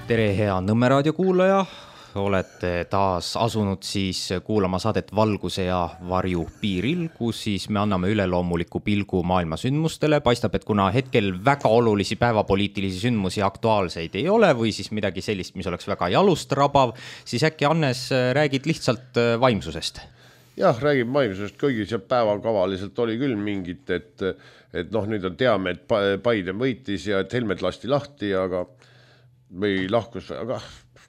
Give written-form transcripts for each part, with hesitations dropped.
Tere, hea Nõmme raadio kuulaja, olete taas asunud siis kuulama saadet Valguse ja varju piiril, kus siis me anname üleloomuliku pilgu maailma sündmustele. Paistab, et kuna hetkel väga olulisi päevapoliitilisi sündmusi aktuaalseid ei ole või siis midagi sellist, mis oleks väga jalust rabav, siis äkki Hannes räägid lihtsalt vaimsusest? Jah, räägib vaimsusest, kõigi seal päevakavaliselt oli küll mingit, et nüüd on teame, et Biden võitis ja et Helmed lasti lahti, aga või lahkus, aga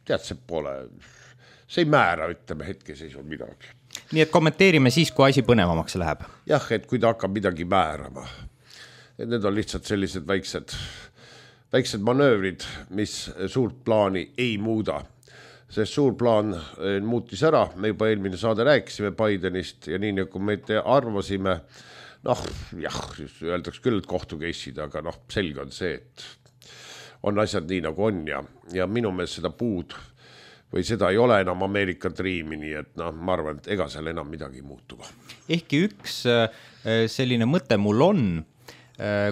tead, see ei määra, ütleme, hetkeseisul midagi. Nii et kommenteerime siis, kui asi põnevamaks läheb. Jah, et kui ta hakkab midagi määrama. Et need on lihtsalt sellised väiksed manöövrid, mis suurt plaani ei muuda. Sest suur plaan muutis ära, me juba eelmine saade rääkisime Bidenist ja nii nagu me arvasime, öeldaks küll, et kohtukeisid, aga selge on see, et on asjad nii nagu on ja minu meelest seda puud või seda ei ole enam Ameerika Dreami, nii et ma arvan, et ega seal enam midagi ei muutu. Ehkki üks selline mõte mul on,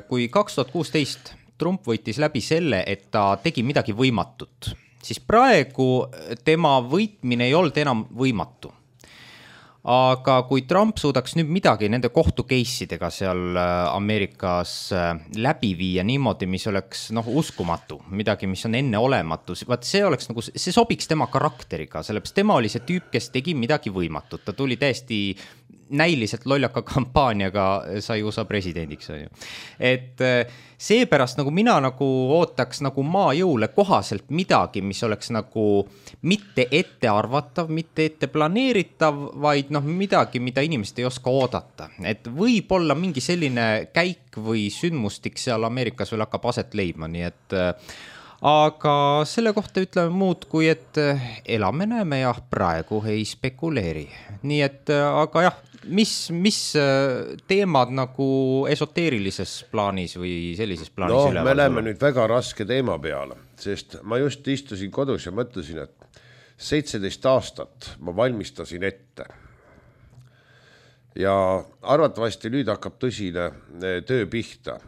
kui 2016 Trump võitis läbi selle, et ta tegi midagi võimatut, siis praegu tema võitmine ei olnud enam võimatu. Aga kui Trump suudaks nüüd midagi nende kohtukeisidega seal Ameerikas läbi viia niimoodi, mis oleks uskumatu, midagi, mis on enne olematu, see oleks see sobiks tema karakteriga, sellepärast tema oli see tüüp, kes tegi midagi võimatut. Ta tuli täiesti näiliselt lollaka kampaaniaga sai USA presidendiks. Et seepärast mina ootaks maa jõule kohaselt midagi, mis oleks mitte ette arvatav, mitte ette planeeritav, vaid midagi, mida inimesed ei oska oodata. Et võib olla mingi selline käik või sündmustik seal Ameerikas veel hakkab aset leidma, nii et aga selle kohta ütleme muud kui, et elame näeme ja praegu ei spekuleeri. Nii et, aga jah, mis teemad esoteerilises plaanis või sellises plaanis üleval? Me läheme nüüd väga raske teema peale, sest ma just istusin kodus ja mõtlesin, et 17 aastat ma valmistasin ette. Ja arvatavasti nüüd hakkab tõsine töö pihta.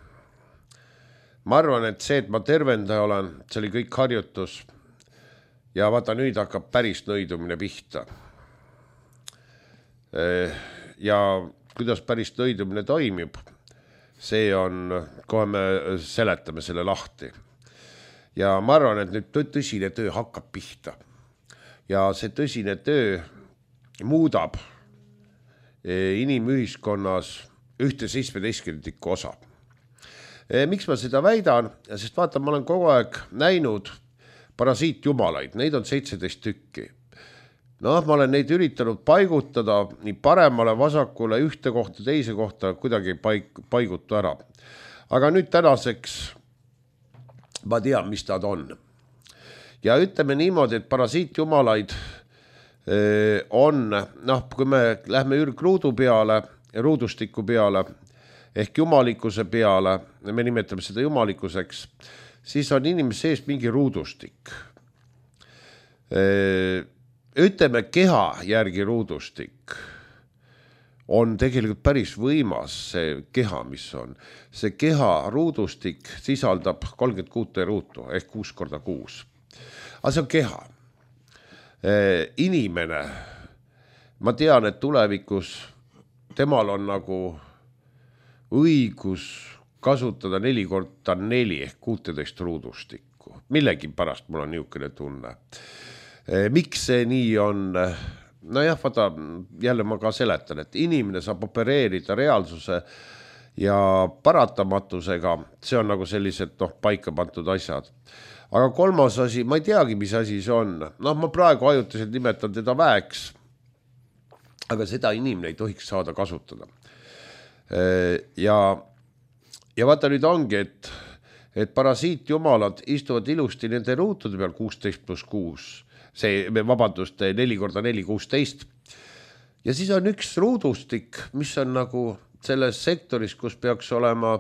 Ma arvan, et see, et ma tervendaja olen, see oli kõik harjutus ja vaata nüüd hakkab päris nõidumine pihta. Ja kuidas päris nõidumine toimib, see on, kohe me seletame selle lahti. Ja ma arvan, et nüüd tõsine töö hakkab pihta. Ja see tõsine töö muudab inimühiskonnas 1/17 osa. Miks ma seda väidan? Sest vaata, ma olen kogu aeg näinud parasiitjumalaid, neid on 17 tükki. Ma olen neid üritanud paigutada nii paremale, vasakule, ühte kohta, teise kohta, kuidagi paigutu ära. Aga nüüd tänaseks ma tean, mis nad on. Ja ütleme niimoodi, et parasiitjumalaid on, kui me lähme ürgruudu peale, ruudustiku peale, ehk jumalikkuse peale, me nimetame seda jumalikkuseks, siis on inimese sees mingi ruudustik. Ütleme, keha järgi ruudustik on tegelikult päris võimas see keha, mis on. See keha ruudustik sisaldab 36 ruutu ehk 6x6. Aga see on keha. Inimene, ma tean, et tulevikus temal on õigus kasutada 4x4 ehk 16 ruudustikku. Millegi pärast mul on niisugune tunne. Miks see nii on? Vaata, jälle ma ka seletan, et inimene saab opereerida reaalsuse ja paratamatusega, see on sellised paika pandud asjad. Aga kolmas asi, ma ei teagi, mis asi see on. Ma praegu ajutiselt nimetan teda väeks, aga seda inimene ei tohiks saada kasutada. Ja vaata nüüd ongi, et parasiitjumalad istuvad ilusti nende ruutude peal 16+6, see, vabandust, 4x4, 16. Ja siis on üks ruudustik, mis on selles sektoris, kus peaks olema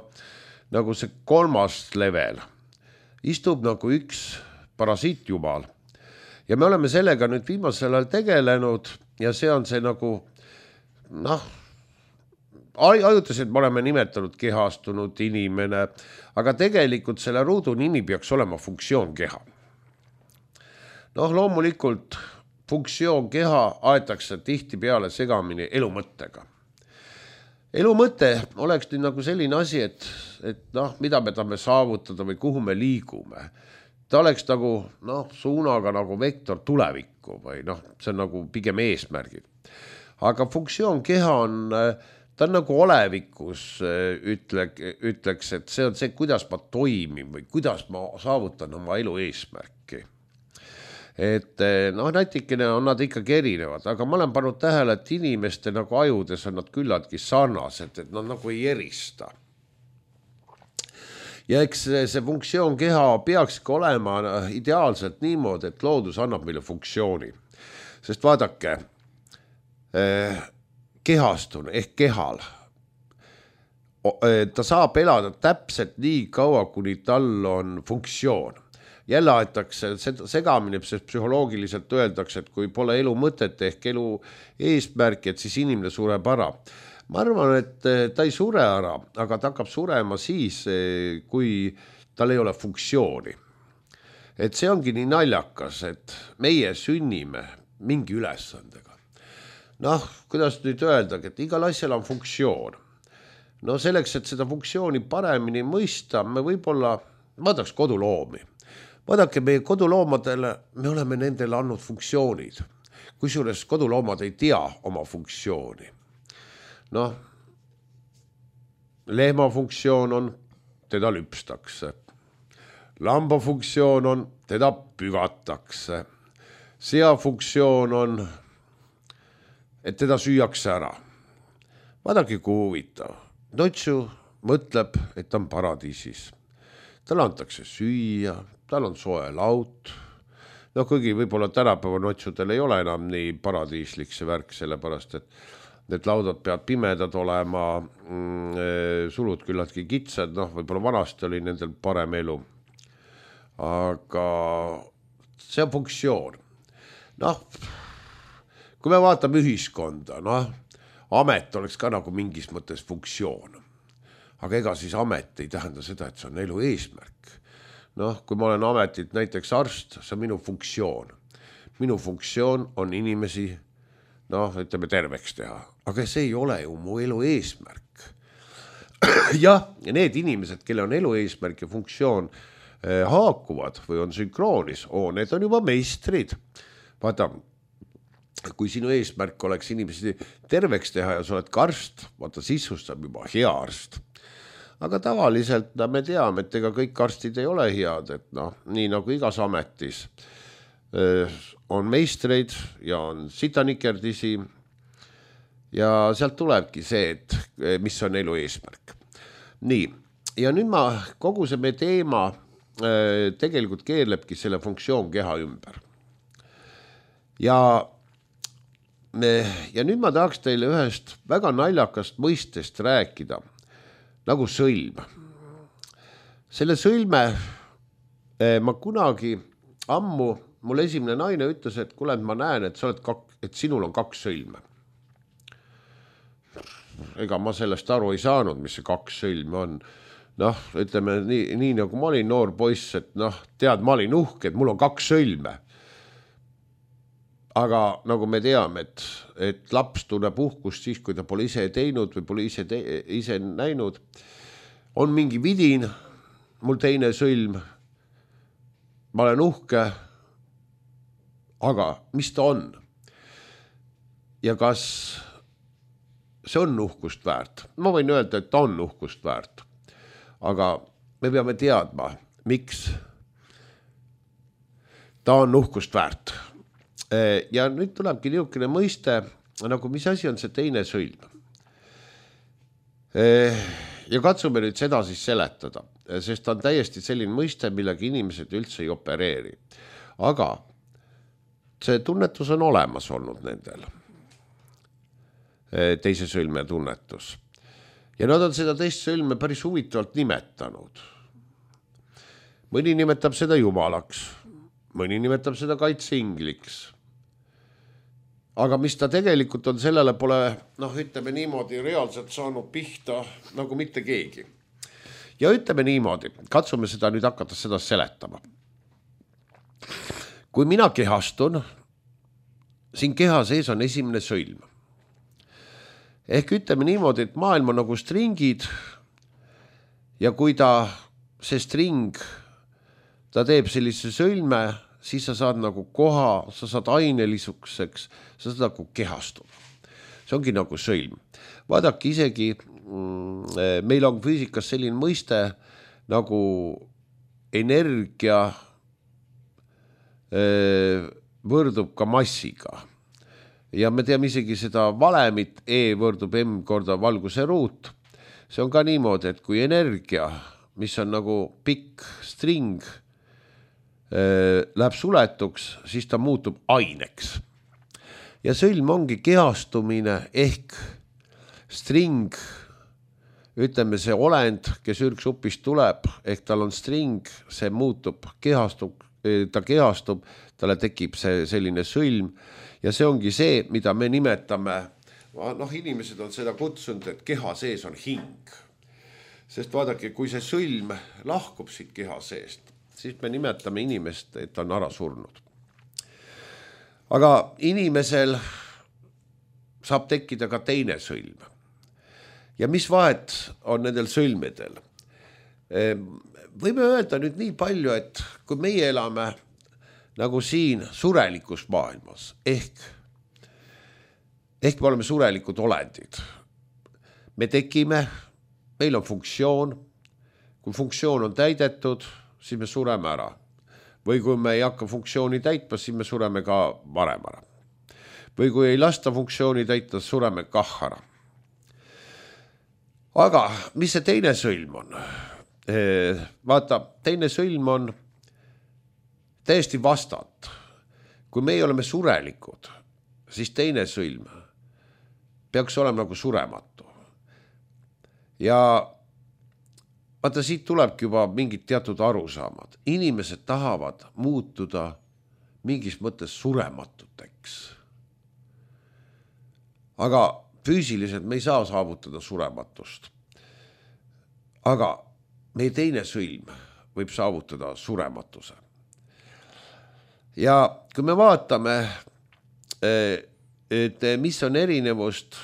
see kolmas level. Istub üks parasiitjumal. Ja me oleme sellega nüüd viimasel ajal tegelenud ja see on see ajutiselt me oleme nimetanud kehastunud inimene, aga tegelikult selle ruudu nimi peaks olema funktsioonkeha. Noh, loomulikult funktsioon keha aetakse tihti peale segamini elumõttega. Elumõte oleks nüüd nagu selline asi, et noh, mida me tahame saavutada või kuhu me liigume. Ta oleks nagu suunaga nagu vektor tulevikku või see on nagu pigem eesmärgid. Aga funktsioon keha ta on nagu olevikus, ütleks, et see on see, kuidas ma toimin või kuidas ma saavutan oma elu eesmärki. Et natikene on nad ikkagi erinevad, aga ma olen pannud tähele, et inimeste nagu ajudes on nad küllaltki sarnased, et nad nagu ei erista. Ja eks see funktsioon keha peakski olema ideaalselt niimoodi, et loodus annab meile funktsiooni. Sest vaadake, kehastun ehk kehal, ta saab elada täpselt nii kaua, kuni tal on funktsioon. Jälle aetakse segamine, sest psühholoogiliselt öeldakse, et kui pole elu mõtet ehk elu eesmärki, et siis inimene sureb ära. Ma arvan, et ta ei sure ära, aga ta hakkab surema siis, kui tal ei ole funktsiooni. Et see ongi nii naljakas, et meie sünnime mingi ülesandega. Kuidas nüüd öeldagi, et igal asjal on funktsioon. Selleks, et seda funktsiooni paremini mõista, me võib-olla vaadaks koduloomi. Vaadake, meie koduloomadele, me oleme nendele andnud funktsioonid. Kusjuures koduloomad ei tea oma funktsiooni. Lehma funktsioon on, teda lüpstakse. Lamba funktsioon on, teda pügatakse. Sea funktsioon on, et teda süüakse ära. Vaadake, kui huvitav. Notsu mõtleb, et ta on paradiisis. Talle antakse süüa, tal on soe laut. Kuigi võib-olla tänapäeva notsudel ei ole enam nii paradiislik see värk, sellepärast, et need laudad peavad pimedad olema, sulud küllaltki kitsad, võib-olla vanasti oli nendel parem elu. Aga see on funktsioon. Kui me vaatame ühiskonda, amet oleks ka nagu mingis mõttes funktsioon. Aga ega siis amet ei tähenda seda, et see on elu eesmärk. Kui ma olen ametit näiteks arst, see on minu funktsioon. Minu funktsioon on inimesi, ütleme terveks teha. Aga see ei ole ju mu elu eesmärk. Ja need inimesed, kelle on elu eesmärk ja funktsioon haakuvad või on sünkroonis, need on juba meistrid. Vaata, kui sinu eesmärk oleks inimesi terveks teha ja sa oled ka arst, vaata sisustab juba hea arst. Aga tavaliselt me teame, et ega kõik arstid ei ole head, et nii nagu igas ametis on meistreid ja on sitanikerdisi ja sealt tulebki see, et mis on elu eesmärk. Nii, ja nüüd kogu see meie teema tegelikult keerlebki selle funktsioon keha ümber. Ja nüüd ma tahaks teile ühest väga naljakast mõistest rääkida, nagu sõlm. Selle sõlme ma kunagi ammu, mul esimene naine ütles, et kuule, ma näen, et sinul on 2 sõlme. Ega ma sellest aru ei saanud, mis see 2 sõlme on. Ütleme nii nagu ma olin noor poiss, et tead, ma olin uhke, et mul on 2 sõlme. Aga nagu me teame, et laps tunneb uhkust siis, kui ta pole ise teinud või pole ise näinud, on mingi vidin, mul teine sõlm, ma olen uhke, aga mis ta on? Ja kas see on uhkust väärt? Ma võin öelda, et ta on uhkust väärt, aga me peame teadma, miks ta on uhkust väärt. Ja nüüd tulebki niisugune mõiste, nagu mis asi on see teine sõlm. Ja katsume nüüd seda siis seletada, sest ta on täiesti selline mõiste, millega inimesed üldse ei opereeri. Aga see tunnetus on olemas olnud nendel. Teise sõlme tunnetus. Ja nad on seda teist sõlme päris huvitavalt nimetanud. Mõni nimetab seda jumalaks, mõni nimetab seda kaitseingliks. Aga mis ta tegelikult on, sellele pole, ütleme niimoodi, reaalselt saanud pihta nagu mitte keegi. Ja ütleme niimoodi, katsume seda nüüd hakata seda seletama. kui mina kehastun, siin keha sees on esimene sõlm. Ehk ütleme niimoodi, et maailm on nagu stringid ja kui see string, ta teeb sellise sõlme, siis sa saad nagu koha, sa saad ainelisukeseks, sa saad nagu kehastuda. See ongi nagu sõlm. Vaadake isegi, meil on füüsikas selline mõiste nagu energia võrdub ka massiga. Ja me teame isegi seda valemit, E võrdub M korda valguse ruut. See on ka niimoodi, et kui energia, mis on nagu pikk string, läheb suletuks, siis ta muutub aineks. Ja sõlm ongi kehastumine ehk string, ütleme see olend, kes ürgsupist tuleb, ehk tal on string, see muutub, ta kehastub, talle tekib see selline sõlm ja see ongi see, mida me nimetame, inimesed on seda kutsunud, et keha sees on hing. Sest vaadake, kui see sõlm lahkub siit keha seest, siis me nimetame inimest, et on ära surnud. Aga inimesel saab tekkida ka teine sõlm. Ja mis vahet on nendel sõlmedel? Võime öelda nüüd nii palju, et kui meie elame nagu siin surelikus maailmas, ehk me oleme surelikud olendid. Me tekime, meil on funktsioon, kui funktsioon on täidetud, siis me sureme ära. Või kui me ei hakka funktsiooni täitma, siis me sureme ka varem ära. Või kui ei lasta funktsiooni täita, sureme kah ära. Aga mis see teine sõlm on? Vaata, teine sõlm on täiesti vastat. Kui meie oleme surelikud, siis teine sõlm peaks olema nagu surematu. Ja vaata, siit tulebki juba mingid teatud arusaamad. Inimesed tahavad muutuda mingis mõttes surematuteks. Aga füüsiliselt me ei saa saavutada surematust. Aga meie teine sõlm võib saavutada surematuse. Ja kui me vaatame, et mis on erinevust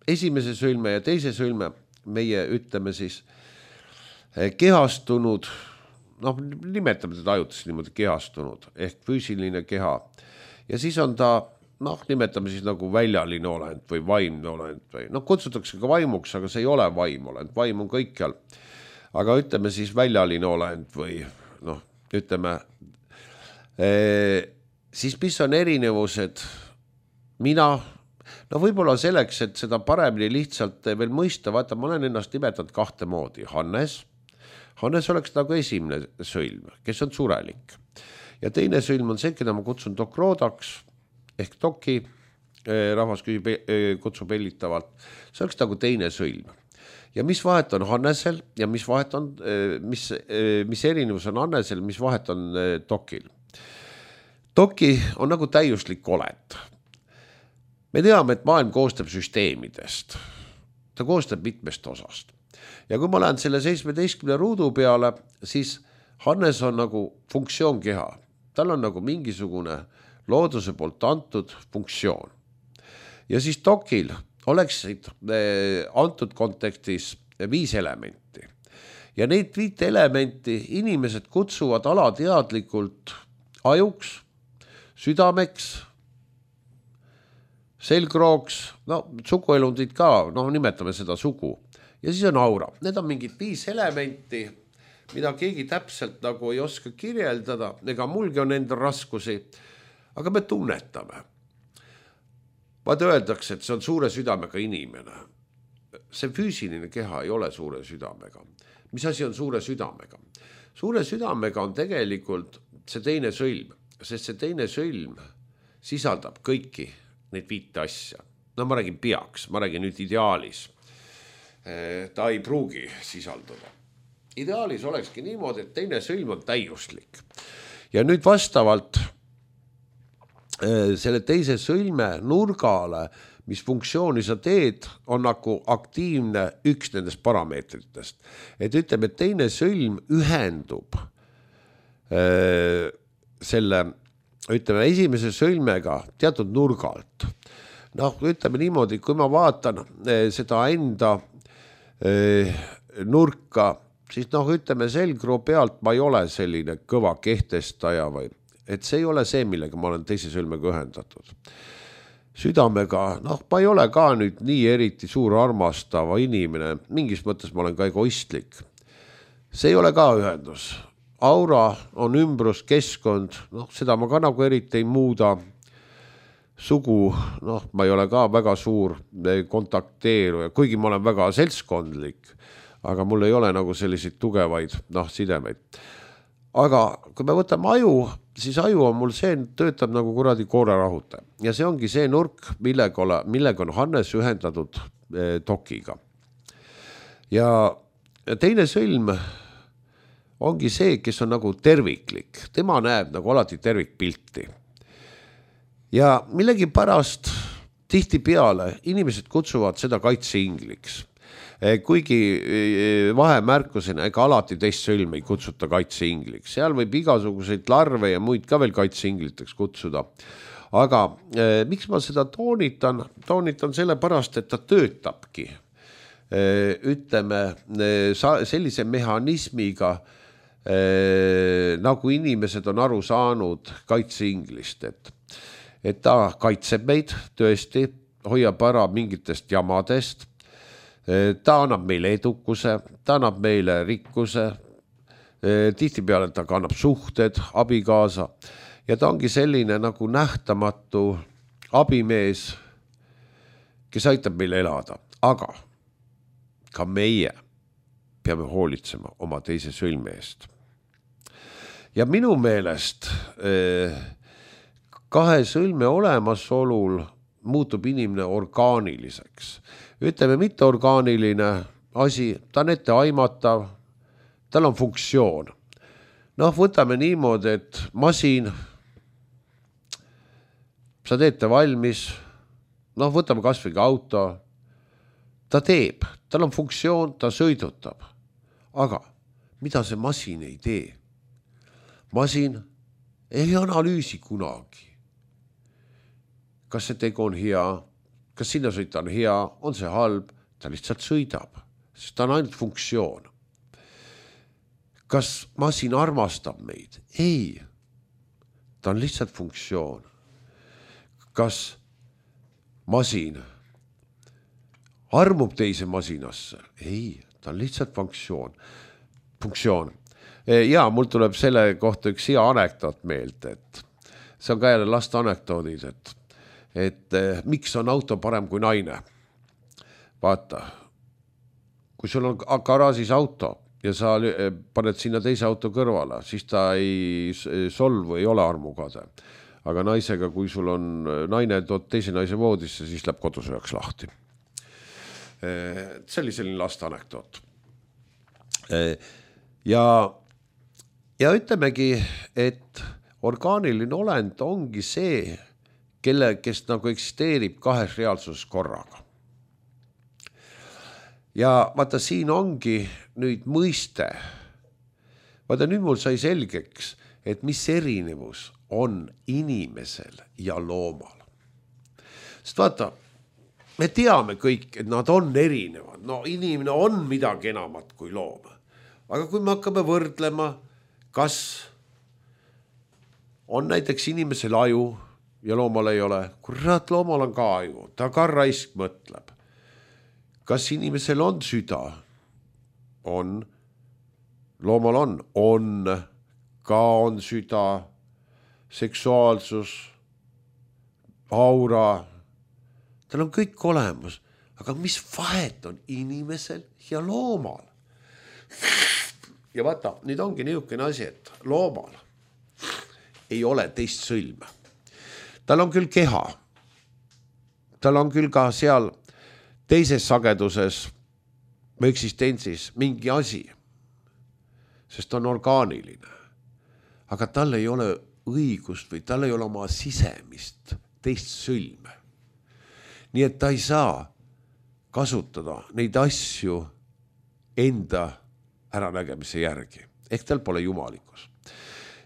esimese sõlme ja teise sõlme, meie ütleme siis kehastunud, nimetame teda ajutisesti niimoodi kehastunud, ehk füüsiline keha. Ja siis on ta, nimetame siis nagu väljaline olend või vaimne olend või, kutsutakse ka vaimuks, aga see ei ole vaim olend, vaim on kõikjal. Aga ütleme siis väljaline olend või, ütleme, siis mis on erinevused mina, võib-olla selleks, et seda paremini lihtsalt veel mõista, vaata, ma olen ennast nimetanud kahte moodi. Hannes oleks nagu esimene sõlm, kes on surelik. Ja teine sõlm on see, keda ma kutsun dokroodaks, ehk doki, rahvas kutsub hellitavalt. See oleks nagu teine sõlm. Ja mis vahet on Hannesel ja mis vahet on, mis erinevus on Hannesel, mis vahet on dokil. Doki on nagu täiuslik olend. Me teame, et maailm koostab süsteemidest. Ta koostab mitmest osast. Ja kui ma lähen selle 17 ruudu peale, siis Hannes on nagu funktsioonkeha. Tal on nagu mingisugune looduse poolt antud funktsioon. Ja siis dokil oleksid antud kontekstis 5 elementi. Ja neid 5 elementi inimesed kutsuvad alateadlikult ajuks, südameks, selgrooks, suguelundid ka, nimetame seda sugu. Ja siis on aura. Need on mingid 5 elementi, mida keegi täpselt nagu ei oska kirjeldada, ega mulgi on enda raskusi, aga me tunnetame. Vaata öeldakse, et see on suure südamega inimene. See füüsiline keha ei ole suure südamega. Mis asi on suure südamega? Suure südamega on tegelikult see teine sõlm, sest see teine sõlm sisaldab kõiki neid 5 asja. Ma räägin peaks, ma räägin nüüd ideaalis. Ta ei pruugi sisalduda. Ideaalis olekski niimoodi, et teine sõlm on täiuslik. Ja nüüd vastavalt selle teise sõlme nurgale, mis funktsiooni sa teed, on nagu aktiivne üks nendest parameetritest. Et ütleme, et teine sõlm ühendub selle ütleme esimese sõlmega teatud nurgalt. Noh, ütleme niimoodi, kui ma vaatan seda enda nurka, siis noh, ütleme selgroo pealt ma ei ole selline kõva kehtestaja või, et see ei ole see, millega ma olen teise sõlmega ühendatud. Südamega, noh, ma ei ole ka nüüd nii eriti suur armastava inimene, mingis mõttes ma olen ka egoistlik. See ei ole ka ühendus. Aura on ümbrus, keskkond, noh, seda ma ka nagu eriti ei muuda. Sugu, noh, ma ei ole ka väga suur kontakteeruja, kuigi ma olen väga seltskondlik, aga mul ei ole nagu selliseid tugevaid, noh, sidemeid. Aga kui me võtame aju, siis aju on mul see, töötab nagu kuradi koorarahutaja. Ja see ongi see nurk, millega on Hannes ühendatud dokiga. Ja teine sõlm ongi see, kes on nagu terviklik. Tema näeb nagu alati tervikpilti. Ja millegi pärast tihti peale inimesed kutsuvad seda kaitseingliks. Kuigi vahemärkusena ega alati teist sõlm ei kutsuta kaitseingliks. Seal võib igasuguseid larve ja muid ka veel kaitseingliteks kutsuda. Aga miks ma seda toonitan? Toonitan selle pärast, et ta töötabki. Ütleme sellise mehhanismiga, nagu inimesed on aru saanud kaitseinglist, et ta kaitseb meid tõesti, hoiab ära mingitest jamadest, ta annab meile edukuse, ta annab meile rikkuse, tihtipeale ta kannab suhted, abikaasa ja ta ongi selline nagu nähtamatu abimees, kes aitab meil elada, aga ka meie peame hoolitsema oma teise sõlme eest. Ja minu meelest kahe sõlme olemasolul muutub inimene orgaaniliseks. Ütleme, mitte orgaaniline asi, ta on ette aimatav, tal on funktsioon. Noh, võtame niimoodi, et masin, sa teete valmis, noh, võtame kas või ka auto, ta teeb, tal on funktsioon, ta sõidutab. Aga mida see masin ei tee? Masin ei analüüsi kunagi. Kas see tegu on hea, kas sinna sõita on hea, on see halb, ta lihtsalt sõidab, sest ta on ainult funktsioon. Kas masin armastab meid? Ei, ta on lihtsalt funktsioon. Kas masin armub teise masinasse? Ei, ta on lihtsalt funktsioon. Ja mul tuleb selle kohta üks hea anekdoot meelde, et see on ka jälle laste anekdoodid, et miks on auto parem kui naine. Vaata, kui sul on garaažis auto ja sa paned sinna teise auto kõrvale, siis ta ei solvu, ei ole armukade. Aga naisega, kui sul on naine, tood teise naise voodisse, siis läheb kodusööks lahti. See oli selline laste anekdoot. Ja ütlemegi, et orgaaniline olend ongi see, kes nagu eksisteerib kahes reaalsuses korraga. Ja vaata, siin ongi nüüd mõiste. Vaata, nüüd mul sai selgeks, et mis erinevus on inimesel ja loomal. Sest vaata, me teame kõik, et nad on erinevad. No inimene on midagi enamat kui loom. Aga kui me hakkame võrdlema, kas on näiteks inimesel aju ja loomal ei ole, kurat, loomal on ka aju, ta ka raisk mõtleb. Kas inimesel on süda? On. Loomal on. Ka on süda, seksuaalsus, aura. Tal on kõik olemas. Aga mis vahet on inimesel ja loomal? Ja vaata, nüüd ongi niisugune asi, et loomal ei ole teist sõlme. Tal on küll keha. Tal on küll ka seal teises sageduses või eksistentsis mingi asi, sest ta on orgaaniline. Aga tal ei ole õigust või tal ei ole oma sisemist teist sõlme. Nii et ta ei saa kasutada neid asju enda äranägemise järgi. Ehk tal pole jumalikus.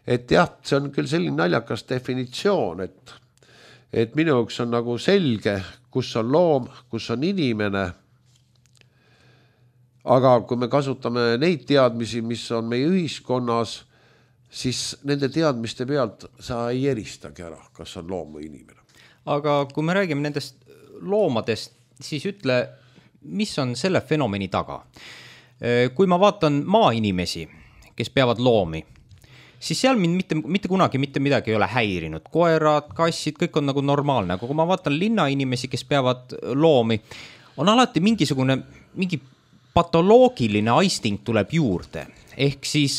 et jah, see on küll selline naljakas definitsioon, et minu jaoks on nagu selge, kus on loom, kus on inimene. Aga kui me kasutame neid teadmisi, mis on meie ühiskonnas, siis nende teadmiste pealt sa ei eristagi ära, kas on loom või inimene. Aga kui me räägime nendest loomadest, siis ütle, mis on selle fenomeni taga? Kui ma vaatan maainimesi, kes peavad loomi, siis seal mind mitte kunagi mitte midagi ei ole häirinud. Koerad, kassid, kõik on nagu normaalne. Aga kui ma vaatan linnainimesi, kes peavad loomi, on alati mingi patoloogiline aisting tuleb juurde. Ehk siis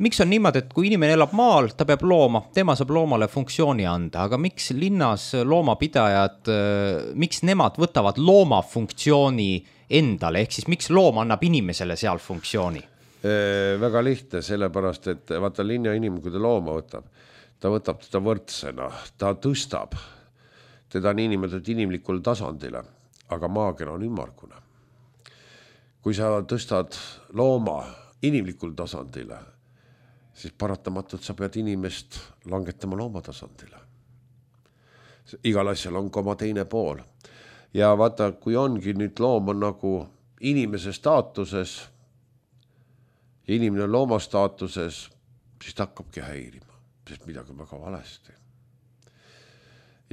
miks on niimoodi, et kui inimene elab maal, ta peab looma, tema saab loomale funktsiooni anda, aga miks linnas loomapidajad, miks nemad võtavad looma funktsiooni endale, ehk siis miks loom annab inimesele seal funktsiooni? Väga lihtne, sellepärast, et vaata linna inimene, kui ta looma võtab teda võrdsena, ta tõstab teda niinimetatud inimlikule tasandile, aga maakera on ümmargune. Kui sa tõstad looma inimlikul tasandile, siis paratamatult sa pead inimest langetama looma tasandile. Igal asjal on ka oma teine pool. Ja vaata, kui ongi nüüd loom on nagu inimese staatuses ja inimene on looma staatuses, siis ta hakkabki häirima, sest midagi on väga valesti.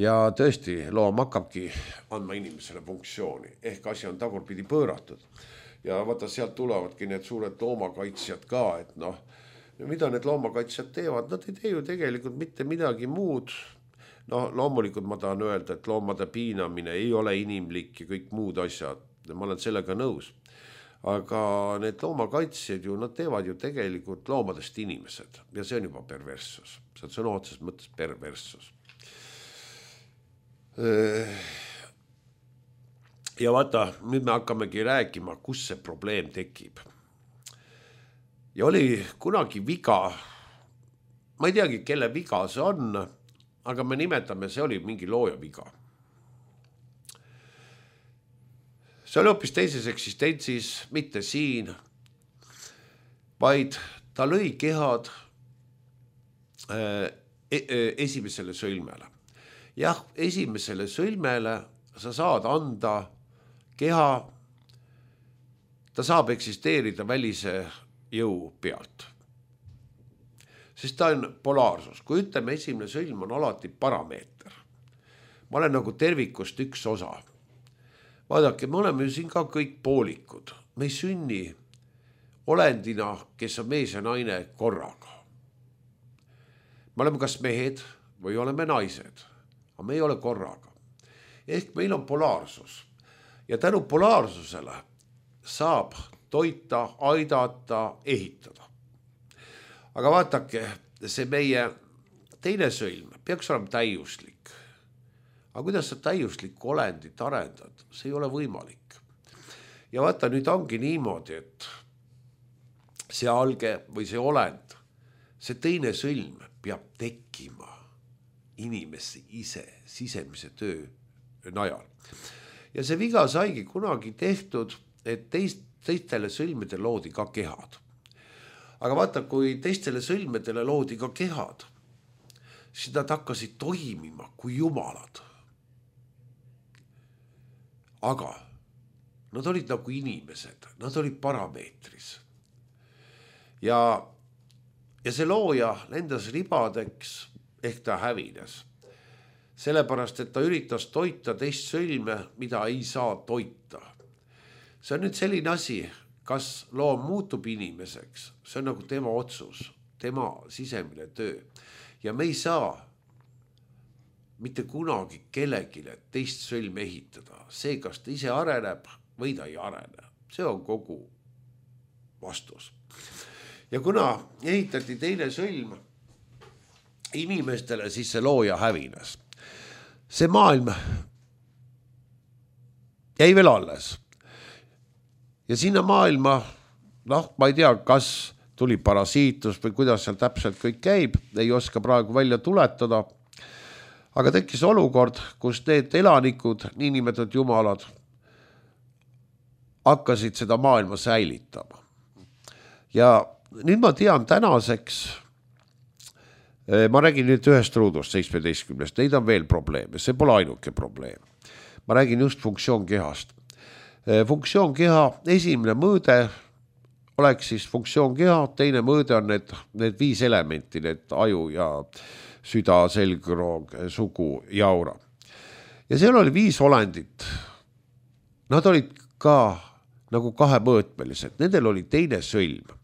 Ja tõesti, loom hakkabki andma inimesele funktsiooni, ehk asi on tagurpidi pööratud. Ja vaata, sealt tulevadki need suured loomakaitsjad ka, et mida need loomakaitsjad teevad? Nad ei tee ju tegelikult mitte midagi muud. Loomulikult ma tahan öelda, et loomade piinamine ei ole inimlik ja kõik muud asjad. Ma olen sellega nõus. Aga need loomakaitsjad ju, nad teevad ju tegelikult loomadest inimesed. Ja see on juba perverssus. See on sõna otseses mõttes perverssus. Ja vaata, nüüd me hakkamegi rääkima, kus see probleem tekib. Ja oli kunagi viga, ma ei teagi, kelle viga see on, aga me nimetame, see oli mingi looja viga. See oli hoopis teises eksistentsis, mitte siin, vaid ta lõi kehad esimesele sõlmele. Jah, esimesele sõlmele sa saad anda keha, ta saab eksisteerida välise jõu pealt. Sest ta on polaarsus. Kui ütleme, esimene sõlm on alati parameeter. Ma olen nagu tervikust üks osa. Vaadake, me oleme ju siin ka kõik poolikud. Me ei sünni olendina, kes on mees ja naine korraga. Me oleme kas mehed või oleme naised, aga me ei ole korraga. Ehk meil on polaarsus. Ja tänu polaarsusele saab toita, aidata, ehitada. Aga vaatake, see meie teine sõlm peaks olema täiuslik. Aga kuidas sa täiuslikku olendit arendad? See ei ole võimalik. Ja vaata, nüüd ongi niimoodi, et see alge või see olend, see teine sõlm peab tekkima inimesse ise sisemise töö najal. Ja see viga saigi kunagi tehtud, et teistele sõlmedele loodi ka kehad. Aga vaata, kui teistele sõlmedele loodi ka kehad, siis nad hakkasid toimima kui jumalad. Aga nad olid nagu inimesed, nad olid parameetris. Ja see looja lendas ribadeks, ehk ta hävines. Sellepärast, et ta üritas toita teist sõlme, mida ei saa toita. See on nüüd selline asi, kas loom muutub inimeseks, see on nagu tema otsus, tema sisemine töö. Ja me ei saa mitte kunagi kellegile teist sõlme ehitada. See, kas ta ise areneb või ta ei arene. See on kogu vastus. Ja kuna ehitati teine sõlm inimestele, siis see looja hävines. See maailm jäi veel alles. Ja sinna maailma, ma ei tea, kas tuli parasiitus või kuidas seal täpselt kõik käib, ei oska praegu välja tuletada. Aga tekkis olukord, kus need elanikud, niinimetatud jumalad, hakkasid seda maailma säilitama. Ja nüüd ma tean tänaseks, ma räägin nüüd ühest ruudust 17, neid on veel probleeme, see pole ainuke probleem. Ma räägin just funktsioonkehast. Funktsioonkeha esimene mõõde oleks siis funktsioonkeha, teine mõõde on need 5 elementi, need aju ja süda, selgroog, sugu ja aura. Ja seal oli 5 olendit. Nad olid ka nagu kahemõõtmelised, nendel oli teine sõlm.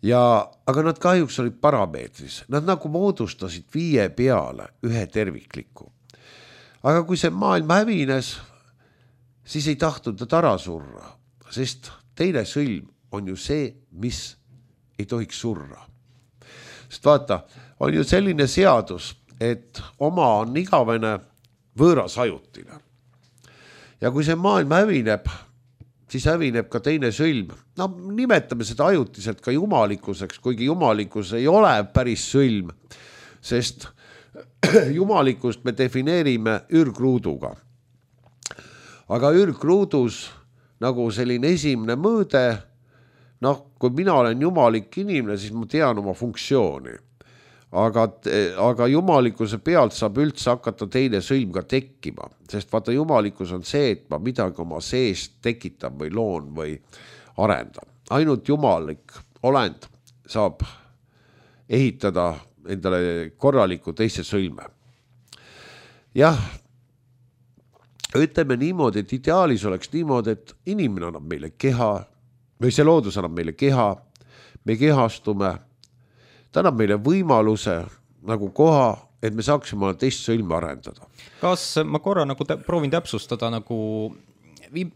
Aga nad kahjuks olid parameetris, nad nagu moodustasid 5 peale ühe tervikliku. Aga kui see maailm hävines, siis ei tahtnud nad ära surra, sest teine sõlm on ju see, mis ei tohiks surra. Sest vaata, on ju selline seadus, et oma on igavene, võõras ajutine. Ja kui see maailm hävineb, siis hävineb ka teine sõlm. No nimetame seda ajutiselt ka jumalikkuseks, kuigi jumalikkus ei ole päris sõlm, sest jumalikkust me defineerime ürgruuduga. Aga ürgruudus nagu selline esimene mõõde, kui mina olen jumalik inimene, siis ma tean oma funktsiooni. Aga jumalikkuse pealt saab üldse hakata teine sõlm ka tekkima, sest vaata jumalikkus on see, et ma midagi oma seest tekitan või loon või arendan. Ainult jumalik olend saab ehitada endale korraliku teise sõlme. Jah, ütleme niimoodi, et ideaalis oleks niimoodi, et inimene annab meile keha, või see loodus annab meile keha, me kehastume, ta annab meile võimaluse nagu koha, et me saaksime teist sõlme arendada. Kas ma korra nagu proovin täpsustada, nagu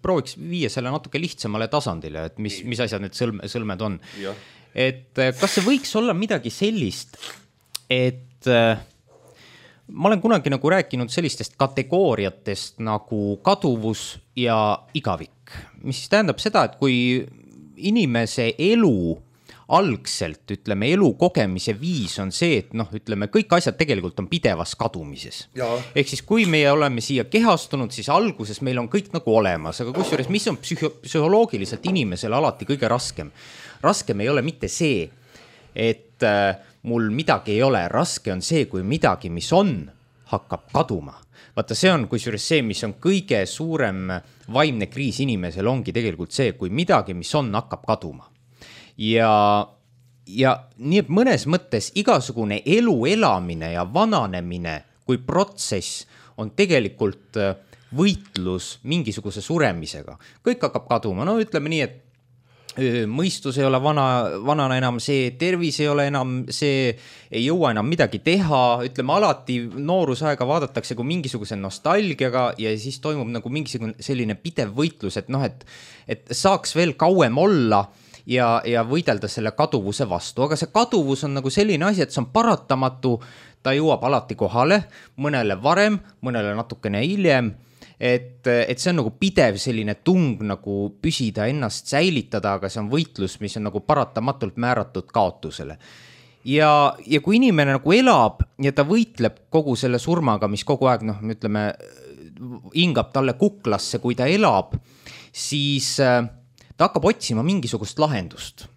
prooviks viia selle natuke lihtsamale tasandile, et mis asjad need sõlmed on. Ja. Et kas see võiks olla midagi sellist, et ma olen kunagi nagu rääkinud sellistest kategooriatest nagu kaduvus ja igavik, mis siis tähendab seda, et kui inimese elu algselt, ütleme, elu kogemise viis on see, et ütleme, kõik asjad tegelikult on pidevas kadumises. Ehk siis, kui me oleme siia kehastunud, siis alguses meil on kõik nagu olemas, aga kusjuures, mis on psühholoogiliselt inimesele alati kõige raskem? Raskem ei ole mitte see, et mul midagi ei ole, raske on see, kui midagi, mis on, hakkab kaduma. Vaata, see on kusjuures see, mis on kõige suurem vaimne kriis inimesel ongi tegelikult see, kui midagi, mis on, hakkab kaduma. Ja nii et mõnes mõttes igasugune elu elamine ja vananemine kui protsess on tegelikult võitlus mingisuguse suremisega. Kõik hakkab kaduma, ütleme nii, et mõistus ei ole vanana enam see, tervis ei ole enam see, ei jõua enam midagi teha, ütleme alati noorusaega vaadatakse kui mingisuguse nostalgiaga ja siis toimub nagu mingisugune selline pidev võitlus, et saaks veel kauem olla ja võidelda selle kaduvuse vastu. Aga see kaduvus on nagu selline asi, et see on paratamatu, ta jõuab alati kohale, mõnele varem, mõnele natukene hiljem, et see on nagu pidev selline tung nagu püsida ennast säilitada, aga see on võitlus, mis on nagu paratamatult määratud kaotusele. Ja kui inimene nagu elab ja ta võitleb kogu selle surmaga, mis kogu aeg, ütleme, hingab talle kuklasse, kui ta elab, siis ta hakkab otsima mingisugust lahendust.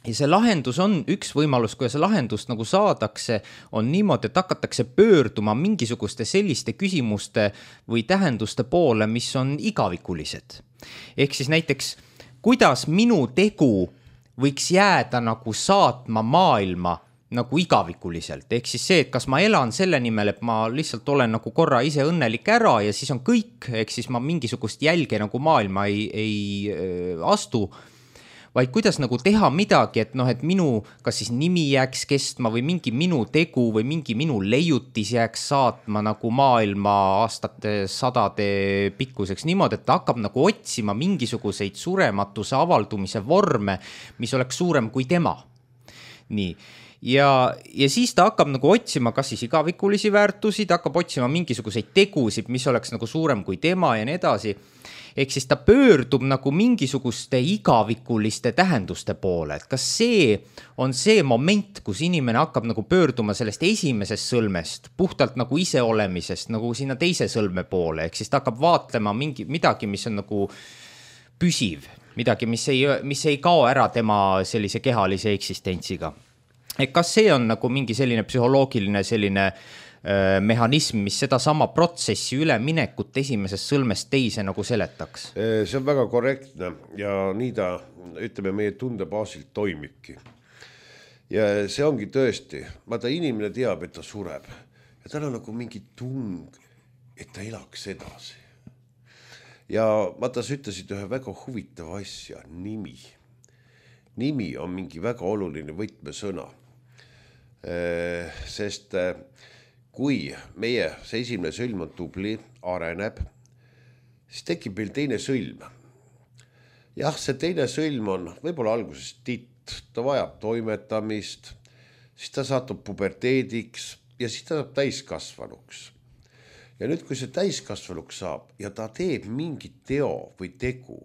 Ja see lahendus on üks võimalus, kui see lahendust nagu saadakse, on niimoodi, et hakatakse pöörduma mingisuguste selliste küsimuste või tähenduste poole, mis on igavikulised. Ehk siis näiteks, kuidas minu tegu võiks jääda nagu saatma maailma nagu igavikuliselt. Ehk siis see, et kas ma elan selle nimel, et ma lihtsalt olen nagu korra ise õnnelik ära ja siis on kõik, ehk siis ma mingisugust jälge nagu maailma ei astu, vaid kuidas nagu teha midagi, et minu kas siis nimi jääks kestma või mingi minu tegu või mingi minu leiutis jääks saatma nagu maailma aastate sadade pikkuseks niimoodi, et ta hakkab nagu otsima mingisuguseid surematuse avaldumise vorme, mis oleks suurem kui tema. Nii. Ja siis ta hakkab nagu otsima kas siis igavikulisi väärtusi, ta hakkab otsima mingisuguseid tegusid, mis oleks nagu suurem kui tema ja nii edasi. Ehk siis ta pöördub nagu mingisuguste igavikuliste tähenduste poole, et kas see on see moment, kus inimene hakkab nagu pöörduma sellest esimesest sõlmest, puhtalt nagu iseolemisest, nagu sinna teise sõlme poole, ehk siis ta hakkab vaatlema midagi, mis on nagu püsiv, midagi, mis ei kao ära tema sellise kehalise eksistentsiga. et kas see on nagu mingi selline psühholoogiline selline mehhanism, mis seda sama protsessi üleminekut esimesest sõlmest teise nagu seletaks? See on väga korrektne ja nii ta, ütleme, meie tunde baasilt toimibki. Ja see ongi tõesti, vaata inimene teab, et ta sureb ja tal on nagu mingi tung, et ta elaks edasi. Ja vaata, sa ütlesid ühe väga huvitava asja, nimi. Nimi on mingi väga oluline võtmesõna, sest kui meie see esimene sõlm on tubli, areneb, siis tekib meil teine sõlm. Jah, see teine sõlm on võib-olla alguses titt, ta vajab toimetamist, siis ta satub puberteediks ja siis ta saab täiskasvanuks. Ja nüüd, kui see täiskasvanuks saab ja ta teeb mingi teo või tegu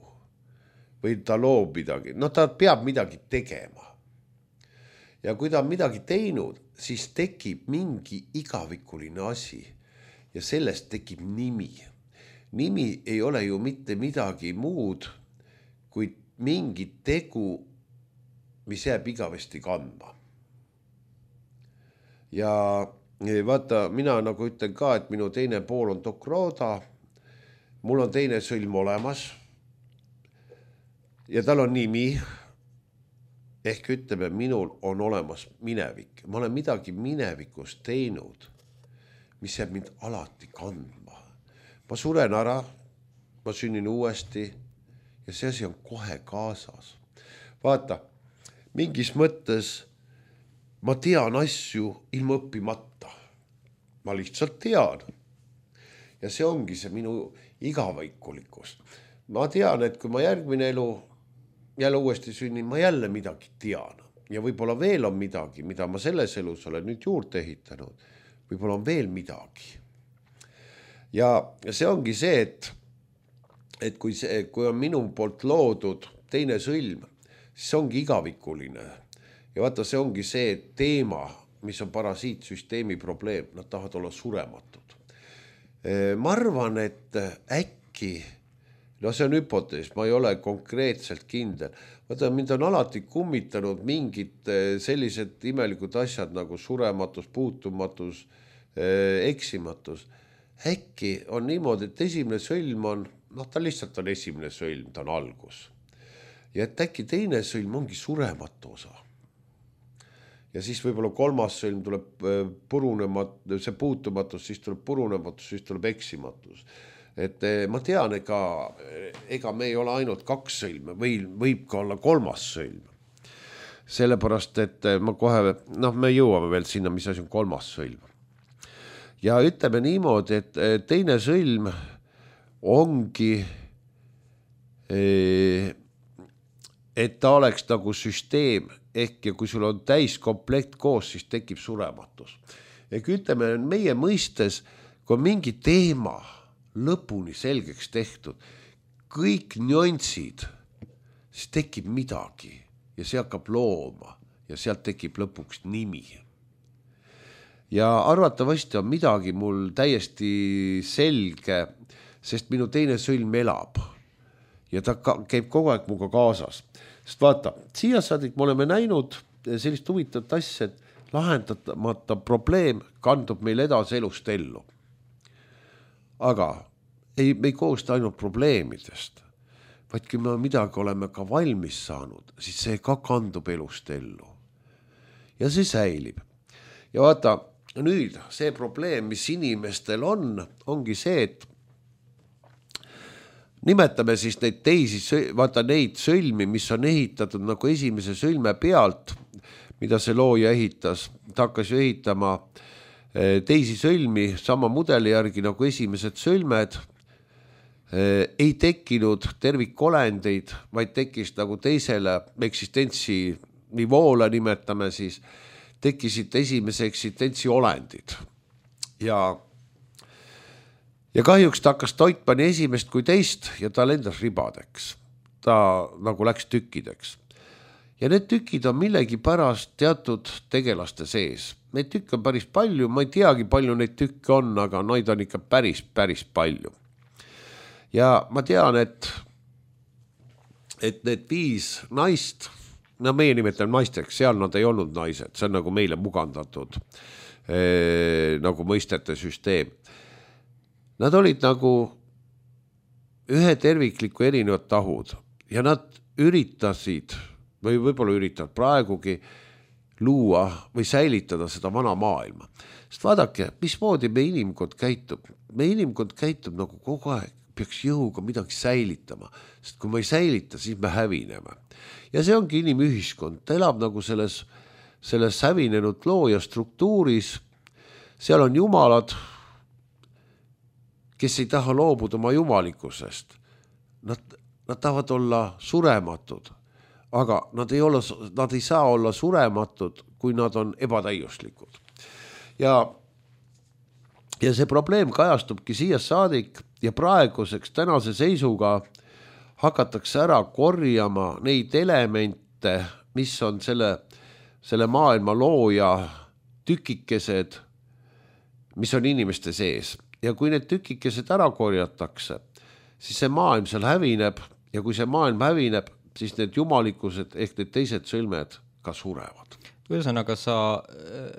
või ta loob midagi, no ta peab midagi tegema. Ja kui ta on midagi teinud, siis tekib mingi igavikuline asi ja sellest tekib nimi. Nimi ei ole ju mitte midagi muud kui mingi tegu, mis jääb igavesti kandma. Ja vaata, mina nagu ütlen ka, et minu teine pool on Dokroda, mul on teine sõlm olemas ja tal on nimi. Ehk ütleme, minul on olemas minevik. Ma olen midagi minevikus teinud, mis jääb mind alati kandma. Ma suren ära, ma sünnin uuesti ja see asi on kohe kaasas. Vaata, mingis mõttes ma tean asju ilma õppimata. Ma lihtsalt tean. Ja see ongi see minu igavikulikkus. Ma tean, et kui ma järgmine elu jälle uuesti sünnin, ma jälle midagi tean. Ja võib-olla veel on midagi, mida ma selles elus olen nüüd juurde ehitanud. Võib-olla on veel midagi. Ja see ongi see, et kui on minu poolt loodud teine sõlm, siis ongi igavikuline. Ja vaata, see ongi see teema, mis on parasiitsüsteemi probleem. Nad tahavad olla surematud. Ma arvan, et äkki no see on hüpotees, ma ei ole konkreetselt kindel. Vaata, mind on alati kummitanud mingid sellised imelikud asjad nagu surematus, puutumatus, eksimatus. Äkki on niimoodi, et esimene sõlm on, ta lihtsalt on esimene sõlm, ta on algus. Ja et äkki teine sõlm ongi surematu osa. Ja siis võib-olla kolmas sõlm tuleb see puutumatus, siis tuleb purunematus, siis tuleb eksimatus. Et ma tean, ega me ei ole ainult 2 sõlme, võib ka olla 3. sõlm. Sellepärast, et ma kohe, me jõuame veel sinna, mis asi on 3. sõlm. Ja ütleme niimoodi, et teine sõlm ongi, et ta oleks nagu süsteem, ehk ja kui sul on täiskomplekt koos, siis tekib surematus. Ehk ütleme, meie mõistes, kui mingi teema lõpuni selgeks tehtud, kõik nüansid, siis tekib midagi ja see hakkab looma ja sealt tekib lõpuks nimi. Ja arvatavasti on midagi mul täiesti selge, sest minu teine sõlm elab ja ta käib kogu aeg muga kaasas. Sest vaata, siia saadik me oleme näinud sellist huvitavat asja, et lahendamata probleem kandub meil edasi elust ellu. Aga me ei koosta ainult probleemidest, vaid kui me midagi oleme ka valmis saanud, siis see ka kandub elust ellu. Ja see säilib. Ja vaata, nüüd see probleem, mis inimestel ongi see, et nimetame siis neid neid sõlmi, mis on ehitatud nagu esimese sõlme pealt, mida see looja ehitas. Ta hakkas ju ehitama teisi sõlmi sama mudeli järgi nagu esimesed sõlmed, ei tekkinud tervikolendeid, vaid tekkis nagu teisele eksistentsi nivoole, nimetame siis, tekkisid esimese eksistentsi olendid. Ja kahjuks ta hakkas toitma nii esimest kui teist ja ta lendas ribadeks. Ta nagu läks tükkideks. Ja need tükid on millegi pärast teatud tegelaste sees. Neid tükke on päris palju, ma ei teagi palju neid tükke on, aga neid on ikka päris palju. Ja ma tean, et need 5 naist, no meie nimetame naisteks, seal nad ei olnud naised, see on nagu meile mugandatud nagu mõistete süsteem. Nad olid nagu ühe tervikliku erinevad tahud ja nad üritasid või võib-olla üritavad praegugi luua või säilitada seda vana maailma. Sest vaadake, mismoodi me inimkond käitub. Me inimkond käitub nagu kogu aeg, peaks jõuga midagi säilitama, sest kui me ei säilita, siis me hävineme. Ja see ongi inimühiskond, ta elab nagu selles hävinenud looja struktuuris, seal on jumalad, kes ei taha loobuda oma jumalikkusest. Nad tahavad olla surematud, aga nad ei saa olla surematud, kui nad on ebatäiuslikud. Ja see probleem kajastubki siia saadik ja praeguseks tänase seisuga hakatakse ära korjama neid elemente, mis on selle maailma looja tükikesed, mis on inimeste sees. Ja kui need tükikesed ära korjatakse, siis see maailm seal hävineb ja kui see maailm hävineb, siis need jumalikkused ehk need teised sõlmed ka surevad. Ühesõnaga, sa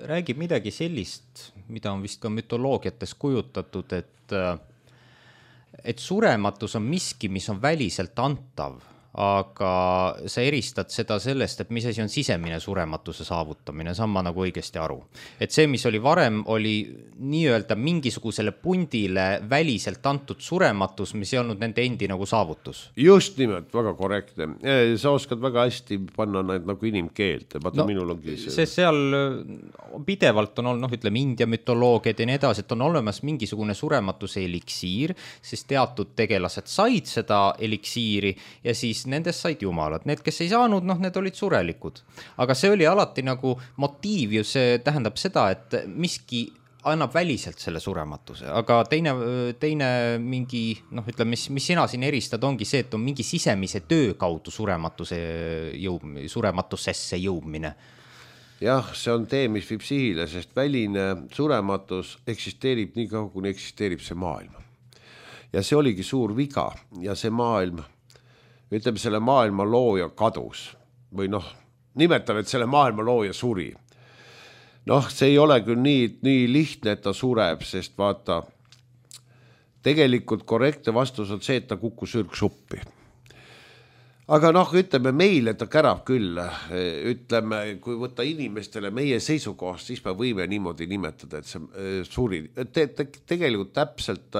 räägid midagi sellist, mida on vist ka mütoloogiates kujutatud, et surematus on miski, mis on väliselt antav, aga sa eristad seda sellest, et mis asi on sisemine surematuse saavutamine, saan ma nagu õigesti aru. Et see, mis oli varem, oli nii-öelda mingisugusele pundile väliselt antud surematus, mis ei olnud nende endi nagu saavutus. Just nimelt, väga korrektne. Sa oskad väga hästi panna need nagu inimkeelt. Vaata, minul ongi see seal pidevalt on olnud, ütleme, India mütoloogiad ja nii edasi, et on olemas mingisugune surematuse eliksiir, sest teatud tegelased said seda eliksiiri ja siis nendest said jumalad. Need, kes ei saanud, need olid surelikud. Aga see oli alati nagu motiiv ju, see tähendab seda, et miski annab väliselt selle surematuse, aga teine mingi, ütleme, mis sina siin eristad, ongi see, et on mingi sisemise töö kaudu surematusesse jõudmine. Jah, see on tee, mis viib sihile, sest väline surematus eksisteerib nii kaua, kuni eksisteerib see maailm. Ja see oligi suur viga ja see maailm, ütleme, selle maailma looja kadus või nimetame, et selle maailma looja suri. See ei ole küll nii lihtne, et ta sureb, sest vaata, tegelikult korrektne vastus on see, et ta kukkus ürgsuppi. Aga ütleme meile, ta kärab küll, ütleme, kui võtta inimestele meie seisukohast, siis me võime niimoodi nimetada, et see suri. Tegelikult täpselt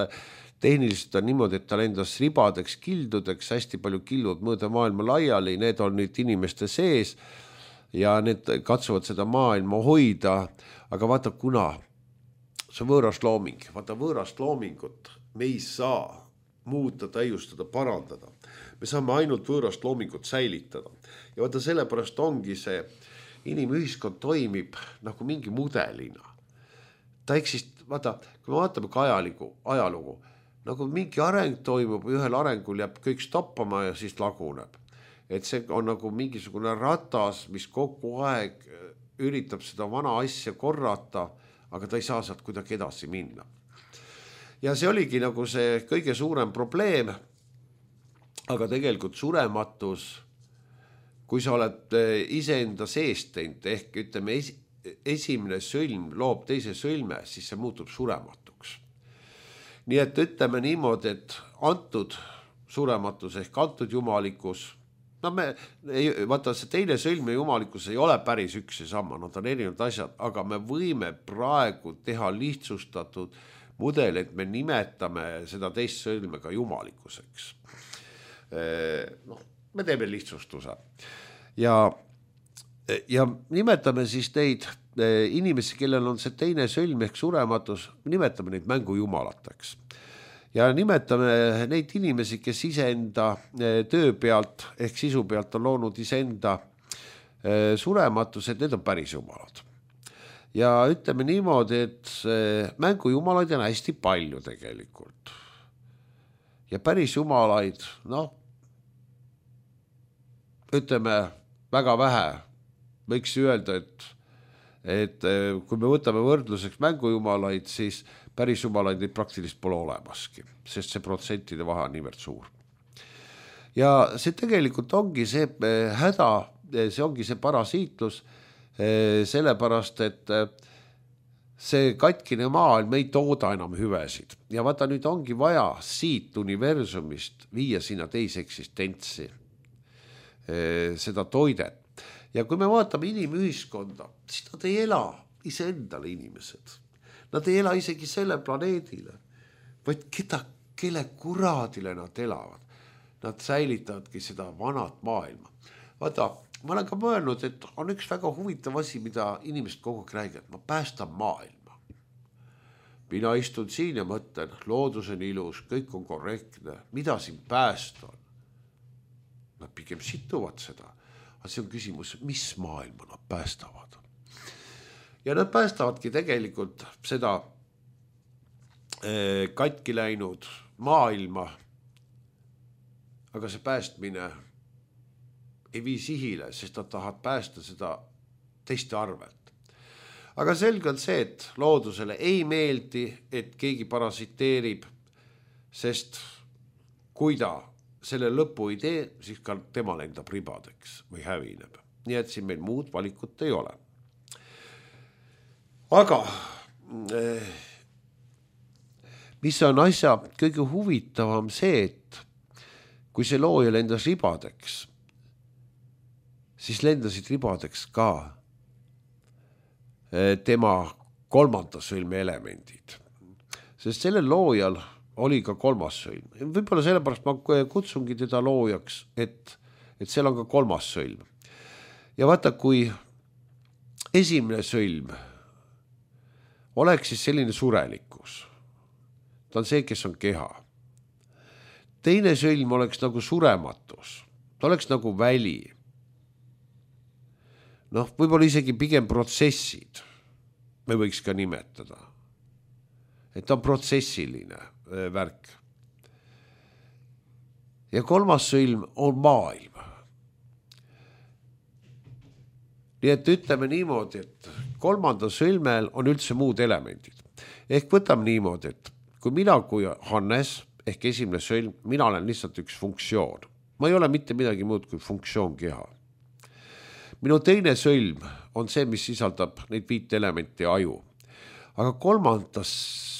tehniliselt on niimoodi, et ta lendas ribadeks, kildudeks, hästi palju killud mööda maailma laiali, need on nüüd inimeste sees ja need katsuvad seda maailma hoida, aga vaata, kuna see võõrast looming, vaata võõrast loomingut me ei saa muuta, täiustada, parandada. Me saame ainult võõrast loomingut säilitada ja vaata, sellepärast ongi see inimühiskond toimib nagu mingi mudelina. Vaata, kui me vaatame ka ajalugu, nagu mingi areng toimub, ühel arengul jääb kõik stoppama ja siis laguneb. Et see on nagu mingisugune ratas, mis kogu aeg üritab seda vana asja korrata, aga ta ei saa sealt kuidagi edasi minna. Ja see oligi nagu see kõige suurem probleem, aga tegelikult surematus, kui sa oled iseenda seest teinud, ehk ütleme esimene sõlm loob teise sõlme, siis see muutub surematuks. Nii et ütleme niimoodi, et antud surematus ehk antud jumalikkus, vaata see teine sõlm ja jumalikkus ei ole päris üks ja sama, nad on erinevad asjad, aga me võime praegu teha lihtsustatud mudel, et me nimetame seda teist sõlme ka jumalikkuseks. Me teeme lihtsustuse ja nimetame siis neid inimesi, kellel on see teine sõlm ehk surematus, nimetame neid mängujumalateks. Ja nimetame neid inimesi, kes iseenda töö pealt ehk sisu pealt on loonud iseenda surematused, need on päris jumalad. Ja ütleme niimoodi, et mängujumalaid on hästi palju tegelikult. Ja päris jumalaid, ütleme väga vähe. Võiks öelda, et kui me võtame võrdluseks mängujumalaid, siis päris jumalaid neid praktiliselt pole olemaski, sest see protsentide vahe on niivõrd suur. Ja see tegelikult ongi see häda, see ongi see parasiitlus, sellepärast, et see katkine maailm ei tooda enam hüvesid ja vaata nüüd ongi vaja siit universumist viia sinna teise eksistentsi seda toidet. Ja kui me vaatame inimühiskonda, siis nad ei ela iseendale inimesed. Nad ei ela isegi selle planeedile, vaid kelle kuradile nad elavad. Nad säilitavadki seda vanat maailma. Vaata, ma olen ka mõelnud, et on üks väga huvitav asi, mida inimesed kogu aeg räägivad, ma päästan maailma. Mina istun siin ja mõtlen, loodus on ilus, kõik on korrektne, mida siin päästa on? Nad pigem situvad seda, aga see on küsimus, mis maailma nad päästavad. Ja nad päästavadki tegelikult seda katki läinud maailma, aga see päästmine ei vii sihile, sest nad tahavad päästa seda teiste arvelt. Aga selge on see, et loodusele ei meeldi, et keegi parasiteerib, sest kui ta selle lõpu ei tee, siis ka tema lendab ribadeks või hävineb. Nii et siin meil muud valikut ei ole. Aga mis on asja kõige huvitavam see, et kui see looja lendas ribadeks, siis lendasid ribadeks ka tema kolmanda sõlme elemendid. Sest sellel loojal oli ka kolmas sõlm. Võib-olla sellepärast ma kutsungi teda loojaks, et seal on ka kolmas sõlm. Ja vaata, kui esimene sõlm oleks siis selline surelikkus. Ta on see, kes on keha. Teine sõlm oleks nagu surematus. Ta oleks nagu väli. Võib-olla isegi pigem protsessid me võiks ka nimetada. Et ta on protsessiline värk. Ja kolmas sõlm on maailm. Nii et ütleme niimoodi, et kolmanda sõlmel on üldse muud elemendid. Ehk võtame niimoodi, et kui mina kui Hannes, ehk esimene sõlm, mina olen lihtsalt üks funktsioon. Ma ei ole mitte midagi muud kui funktsioon keha. Minu teine sõlm on see, mis sisaldab neid 5 elementi aju. Aga kolmandas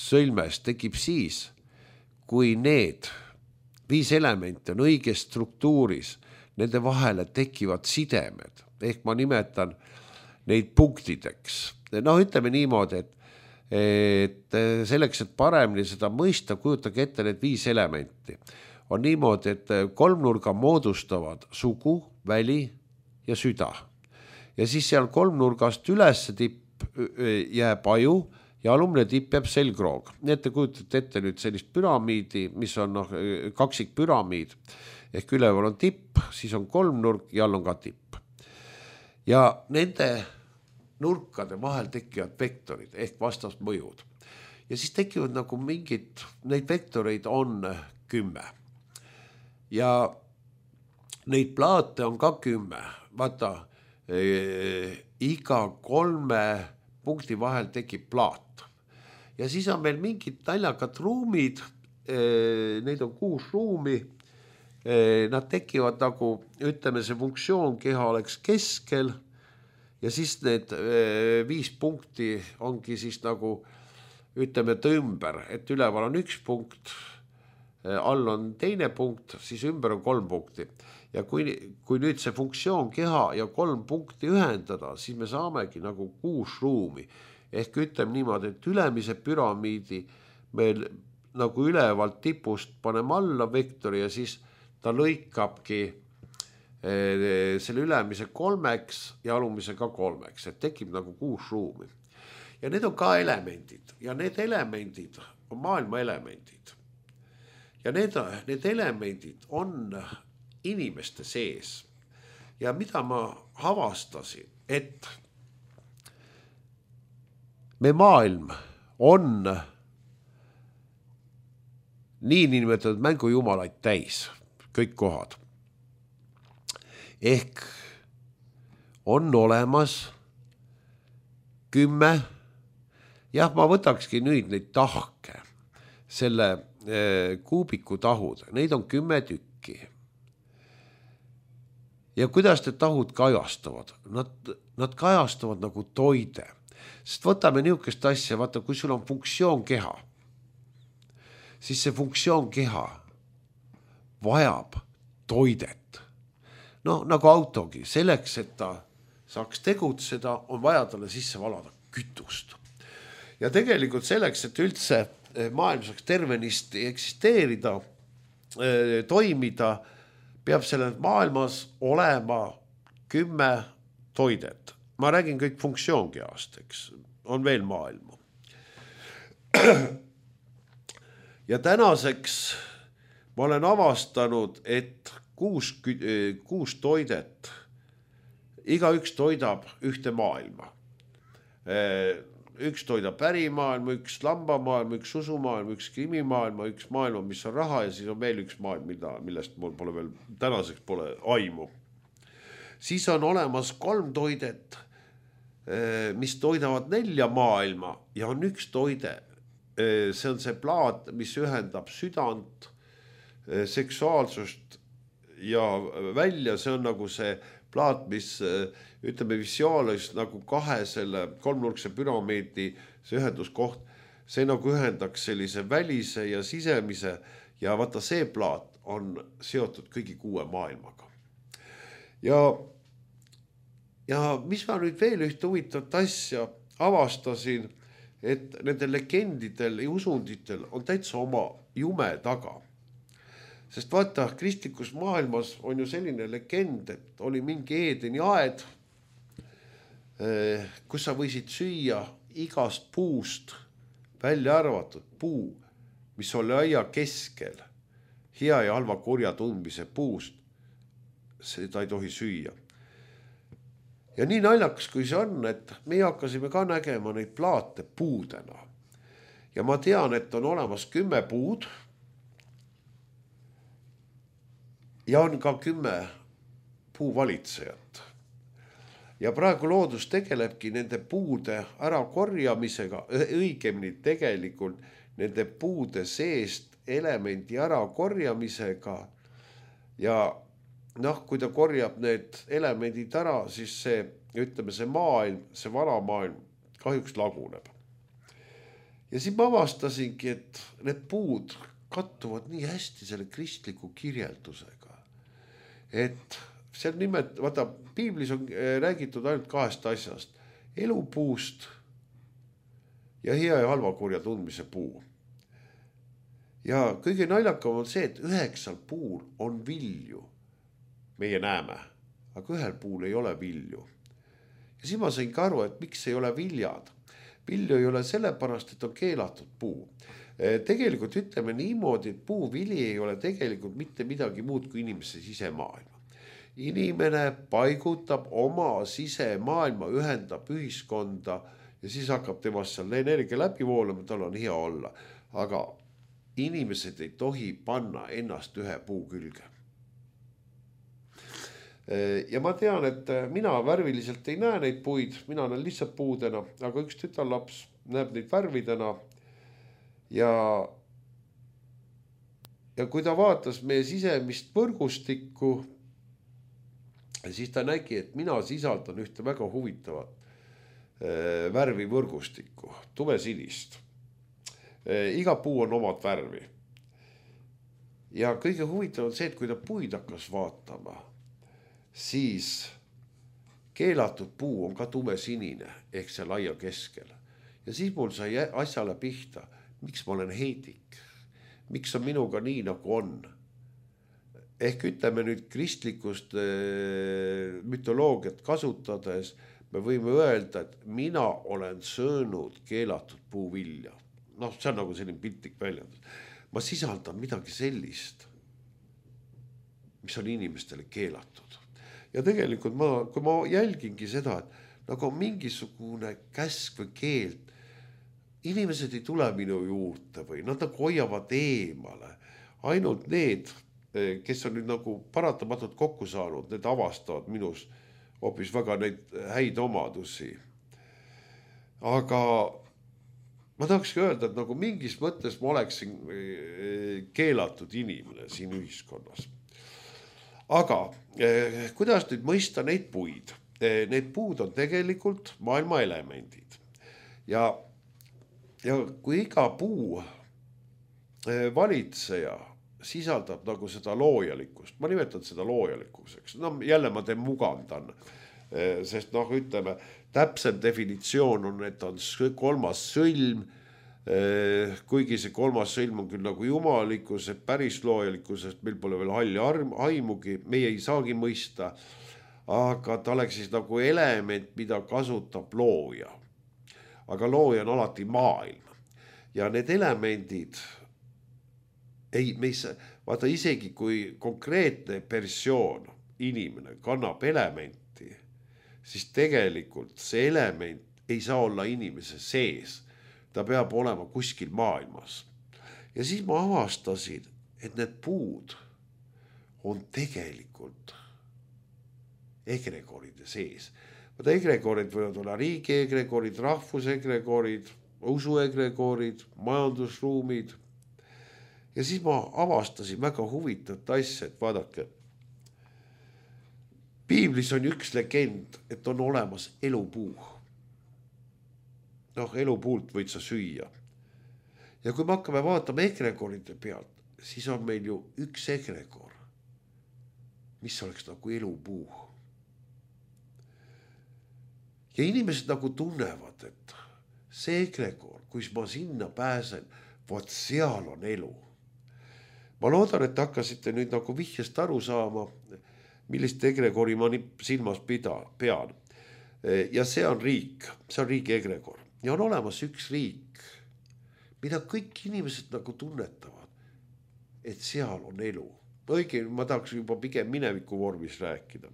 sõlmes tekib siis, kui need 5 elementi on õiges struktuuris, nende vahele tekivad sidemed. Ehk ma nimetan neid punktideks. Ütleme niimoodi, et selleks, et paremini seda mõista, kujutage ette need 5 elementi. On niimoodi, et kolmnurga moodustavad sugu, väli ja süda. Ja siis seal kolmnurgast üles tipp jääb aju ja alumne tipp jääb selgroog. Nii et te kujutate ette nüüd sellist püramiidi, mis on kaksikpüramiid. Ehk üleval on tipp, siis on kolmnurk ja all on ka tipp. Ja nende nurkade vahel tekivad vektorid ehk vastasmõjud. Ja siis tekivad nagu mingid, neid vektoreid on 10. Ja neid plaate on ka 10. Vaata, iga 3 punkti vahel tekib plaat. Ja siis on meil mingid naljakad ruumid, neid on 6 ruumi. Nad tekivad nagu, ütleme, see funktsioon keha oleks keskel ja siis need 5 punkti ongi siis nagu, ütleme, ümber, et üleval on 1 punkt, all on teine punkt, siis ümber on 3 punkti. Ja kui nüüd see funktsioon keha ja 3 punkti ühendada, siis me saamegi nagu 6 ruumi. Ehk ütleme niimoodi, et ülemise püramiidi meil nagu ülevalt tipust paneme alla vektori ja siis ta lõikabki selle ülemise 3 ja alumise ka 3, et tekib nagu 6 ruumi. Ja need on ka elemendid ja need elemendid on maailma elemendid. Ja need elemendid on inimeste sees. Ja mida ma avastasin, et me maailm on nii nimetatud mängujumalaid täis. Kõik kohad. Ehk on olemas 10. Jah, ma võtakski nüüd neid tahke, selle kuubiku tahud. Neid on 10 tükki. ja kuidas need tahud kajastavad? Nad kajastavad nagu toide. Sest võtame niisugust asja, vaata, kui sul on funktsioonkeha, siis see funktsioonkeha vajab toidet. No nagu autogi, selleks, et ta saaks tegutseda, on vaja talle sisse valada kütust. Ja tegelikult selleks, et üldse maailm saaks tervenisti eksisteerida, toimida, peab sellel maailmas olema 10 toidet. Ma räägin kõik funktsioonkeast, eks, on veel maailma. Ja tänaseks ma olen avastanud, et 6 toidet, igaüks toidab ühte maailma. Üks toidab pärimaailma, üks lambamaailma, üks susumaailma, üks krimimaailma, üks maailma, mis on raha ja siis on veel üks maailm, millest mul pole veel tänaseks pole aimu. Siis on olemas 3 toidet, mis toidavad 4 maailma ja on üks toide. See on see plaat, mis ühendab südant, seksuaalsust ja välja, see on nagu see plaat, mis ütleme visuaalis nagu 2 selle 3-nurkse püramiidi see ühenduskoht, see nagu ühendaks sellise välise ja sisemise ja vaata see plaat on seotud kõigi 6 maailmaga. Ja mis ma nüüd veel ühte huvitavat asja avastasin, et nendel legendidel ja usunditel on täitsa oma jume taga. Sest vaata, kristlikus maailmas on ju selline legend, et oli mingi Eedeni aed, kus sa võisid süüa igast puust välja arvatud puu, mis oli aia keskel, hea ja halva kurja tundmise puust, seda ei tohi süüa. Ja nii naljakas, kui see on, et me hakkasime ka nägema neid plaate puudena. Ja ma tean, et on olemas 10 puud ja on ka 10 puuvalitsejat. Ja praegu loodus tegelebki nende puude ära korjamisega, õigemini tegelikult nende puude seest elemendi ära korjamisega ja kui ta korjab need elemendid ära, siis see, ütleme, see maailm, see vana maailm kahjuks laguneb. Ja siis ma avastasingi, et need puud kattuvad nii hästi selle kristliku kirjeldusega. Et seal nimelt, vaata, piiblis on räägitud ainult 2 asjast. Elupuust ja hea ja halva kurja tundmise puu. Ja kõige naljakam on see, et 9 puul on vilju. Meie näeme, aga 1 puul ei ole vilju. Ja siis ma sain ka aru, et miks ei ole viljad. Vilju ei ole sellepärast, et on keelatud puu. Tegelikult ütleme niimoodi, et puuvili ei ole tegelikult mitte midagi muud kui inimese sisemaailma. Inimene paigutab oma sisemaailma, ühendab ühiskonda ja siis hakkab temast seal energia läbi voolama, tal on hea olla. Aga inimesed ei tohi panna ennast 1 puu külge. Ja ma tean, et mina värviliselt ei näe neid puid, mina näen lihtsalt puudena, aga üks tütarlaps näeb neid värvidena ja kui ta vaatas meie sisemist võrgustikku, siis ta nägi, et mina sisaldan ühte väga huvitavat värvi võrgustikku, tumesinist. Iga puu on omad värvi. Ja kõige huvitav on see, et kui ta puid hakkas vaatama, siis keelatud puu on ka tumesinine ehk see laia keskel. Ja siis mul sai asjale pihta, miks ma olen heidik, miks on minuga nii nagu on. Ehk ütleme nüüd kristlikust mütoloogiat kasutades, me võime öelda, et mina olen söönud keelatud puuvilja. See on nagu selline piltlik väljendus. Ma sisaldan midagi sellist, mis on inimestele keelatud. Ja tegelikult kui ma jälgingi seda, et nagu mingisugune käsk või keeld, inimesed ei tule minu juurde või nad nagu hoiavad eemale. Ainult need, kes on nüüd nagu paratamatult kokku saanud, need avastavad minus hoopis väga neid häid omadusi. Aga ma tahakski öelda, et nagu mingis mõttes ma oleksin keelatud inimene siin ühiskonnas. aga kuidas nüüd mõista neid puid? Need puud on tegelikult maailma elemendid ja kui iga puu valitseja sisaldab nagu seda loojalikkust, ma nimetan seda loojalikkuseks, no jälle ma mugandan, sest noh, ütleme, täpsem definitsioon on, et on kolmas sõlm, kuigi see kolmas sõlm on küll nagu jumalikkus, et päris loojalikkusest meil pole veel halli aimugi, meie ei saagi mõista, aga ta oleks siis nagu element, mida kasutab looja. Aga looja on alati maailm ja need elemendid vaata isegi kui konkreetne persoon, inimene kannab elementi, siis tegelikult see element ei saa olla inimese sees. Ta peab olema kuskil maailmas. Ja siis ma avastasin, et need puud on tegelikult egregoride sees. Vaata egregorid võivad olla riigi egregorid, rahvusegregorid, usuegregorid, majandusruumid. Ja siis ma avastasin väga huvitavat asja, et vaadake, Piiblis on üks legend, et on olemas elupuu. Noh, elupuult võid sa süüa. Ja kui me hakkame vaatama egregoride pealt, siis on meil ju üks egregor, mis oleks nagu elupuu. Ja inimesed nagu tunnevad, et see egregor, kui ma sinna pääsen, vot seal on elu. Ma loodan, et hakkasite nüüd nagu vihjest aru saama, millist egregori ma silmas pean. Ja see on riik, see on riigi egregor. Ja on olemas üks riik, mida kõik inimesed nagu tunnetavad, et seal on elu. Õige, ma tahaks juba pigem mineviku vormis rääkida.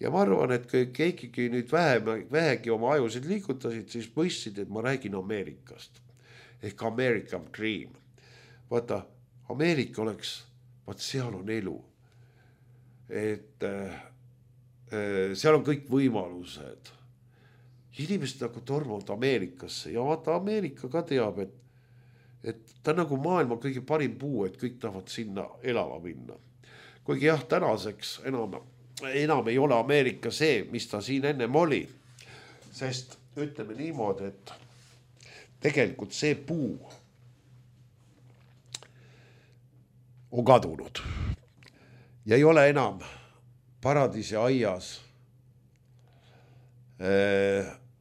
Ja ma arvan, et kui keegi nüüd vähegi oma ajusid liigutasid, siis mõistsid, et ma räägin Ameerikast. Ehk American Dream. Vaata, Ameerika oleks, vaat seal on elu. Et seal on kõik võimalused. Inimesed nagu tormavad Ameerikasse ja vaata Ameerika ka teab, et ta on nagu maailma kõige parim puu, et kõik tahavad sinna elama minna. Kuigi jah, tänaseks enam ei ole Ameerika see, mis ta siin ennem oli. Sest ütleme niimoodi, et tegelikult see puu on kadunud ja ei ole enam paradiisi aias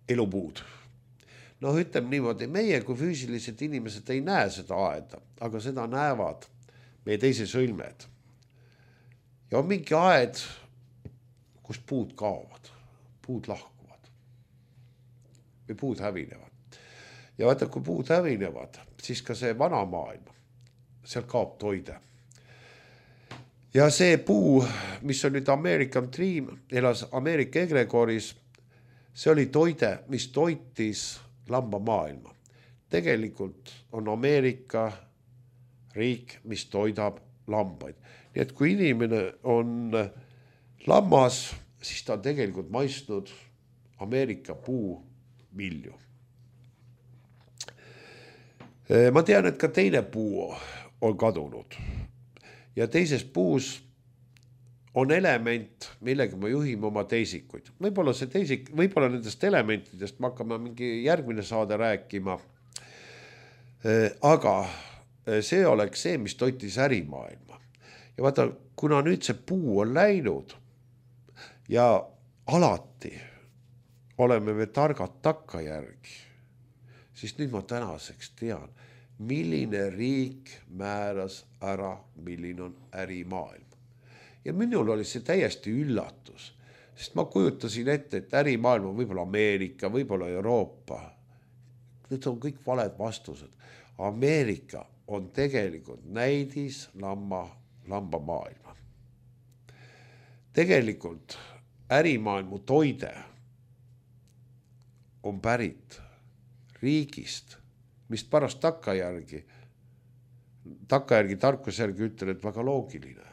elupuud. No ütleme niimoodi, meie kui füüsilised inimesed ei näe seda aeda, aga seda näevad meie teise sõlmed. Ja on mingi aed, kus puud kaovad, puud lahkuvad või puud hävinevad. Ja vaata, kui puud hävinevad, siis ka see vana maailm, seal kaob toide. Ja see puu, mis on nüüd American Dream, elas Ameerika egregoris, see oli toide, mis toitis lamba maailma. Tegelikult on Ameerika riik, mis toidab lambaid. Nii et kui inimene on lammas, siis ta on tegelikult maistnud Ameerika puu vilju. Ma tean, et ka teine puu on kadunud. Ja teises puus on element, millega me juhime oma teisikuid. Võib-olla nendest elementidest me hakkame mingi järgmine saade rääkima. Aga see oleks see, mis toitis ärimaailma. Ja vaata, kuna nüüd see puu on läinud ja alati oleme me targad takkajärgi, siis nüüd ma tänaseks tean, milline riik määras ära, milline on ärimaailm. Ja minul oli see täiesti üllatus, sest ma kujutasin ette, et ärimaailm on võib-olla Ameerika, võib-olla Euroopa. Need on kõik valed vastused. Ameerika on tegelikult näidis lamba maailma. Tegelikult ärimaailmu toide on pärit riigist, mis pärast takkajärgi tarkusjärgi ütlen, et väga loogiline.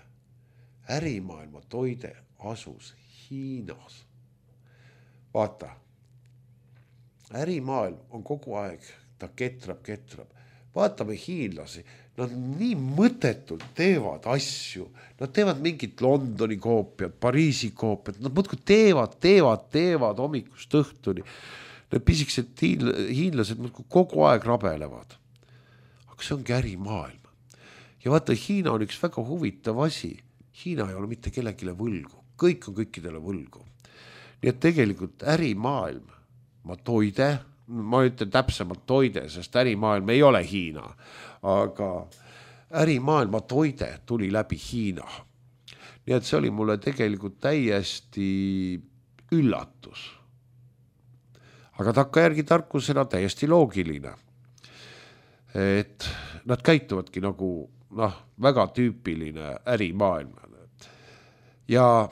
Ärimaailma toide asus Hiinas. Vaata, ärimaailm on kogu aeg, ta ketrab. vaatame hiinlasi, nad nii mõttetult teevad asju, nad teevad mingit Londoni koopiat, Pariisi koopiat, nad muudkui teevad hommikust õhtuni. Need pisikesed hiinlased muudkui kogu aeg rabelevad. Aga see ongi ärimaailm. Ja vaata, Hiina on üks väga huvitav asi. Hiina ei ole mitte kellelegi võlgu, kõik on kõikidele võlgu. Nii et tegelikult ärimaailm, ma ütlen täpsemalt toide, sest ärimaailm ei ole Hiina, aga ärimaailma toide tuli läbi Hiina. Nii et see oli mulle tegelikult täiesti üllatus. Aga takkajärgi tarkusena täiesti loogiline. Et nad käituvadki nagu väga tüüpiline ärimaailm. Ja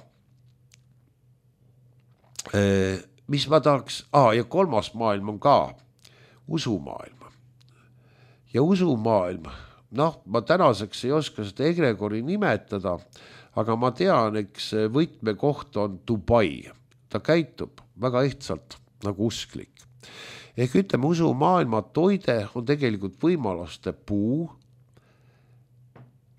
mis ma tahaks, ja kolmas maailm on ka usumaailm. Ja usumaailm, ma tänaseks ei oska seda egregori nimetada, aga ma tean, eks võtmekoht on Dubai. Ta käitub väga ehtsalt nagu usklik. Ehk ütleme, usumaailma toide on tegelikult võimaluste puu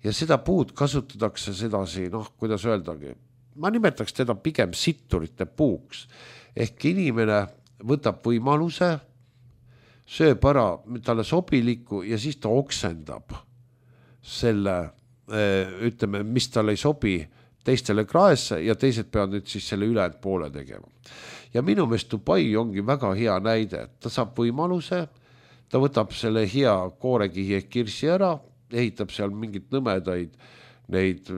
ja seda puud kasutatakse sedasi, kuidas öeldagi, ma nimetaks teda pigem sitturite puuks. Ehk inimene võtab võimaluse, sööb ära talle sobiliku ja siis ta oksendab selle, ütleme, mis talle ei sobi teistele kraesse ja teised peavad nüüd siis selle ülejäänud poole tegema. Ja minu meelest Dubai ongi väga hea näide, et ta saab võimaluse, ta võtab selle hea koorekihi ehk kirsi ära, ehitab seal mingit nõmedaid neid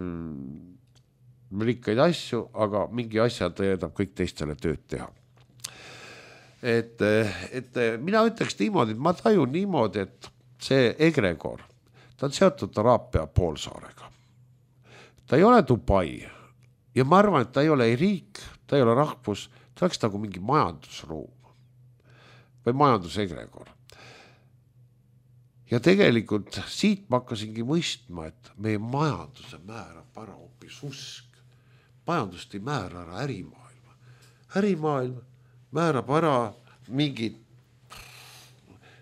rikkaid asju, aga mingi asja ta jätab kõik teistele tööd teha. Et mina ütleks niimoodi, et ma tajun niimoodi, et see egregor, ta on seotud Araabia poolsaarega. Ta ei ole Dubai ja ma arvan, et ta ei ole ei riik, ta ei ole rahvus, ta oleks nagu mingi majandusruum või majandusegregor. Ja tegelikult siit ma hakkasingi mõistma, et meie majanduse määrab ära hoopis usk. Majandust ei määra ära ärimaailma. Ärimaailm määrab ära mingid,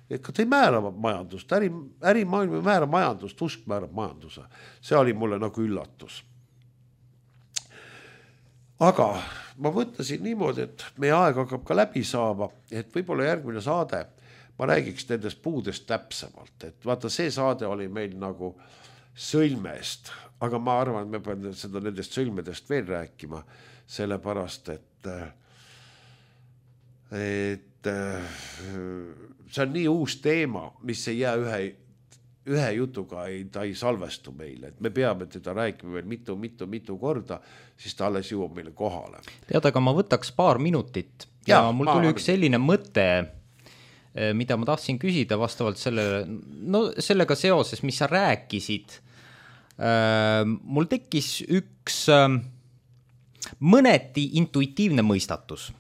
et ta ei määra majandust, ärimaailm ei määra majandust, usk määrab majanduse. See oli mulle nagu üllatus. Aga ma mõtlesin niimoodi, et meie aeg hakkab ka läbi saama, et võib-olla järgmine saade ma räägiks nendest puudest täpsemalt, et vaata, see saade oli meil nagu sõlmest, aga ma arvan, et me peame seda nendest sõlmedest veel rääkima, sellepärast, et see on nii uus teema, mis ei jää ühe jutuga, ta ei salvestu meile, et me peame teda rääkima veel mitu korda, siis ta alles jõuab meile kohale. Tead, aga ma võtaks paar minutit ja mul tuli üks selline mõte, mida ma tahtsin küsida vastavalt sellega seoses, mis sa rääkisid. Mul tekkis üks mõneti intuitiivne mõistatus.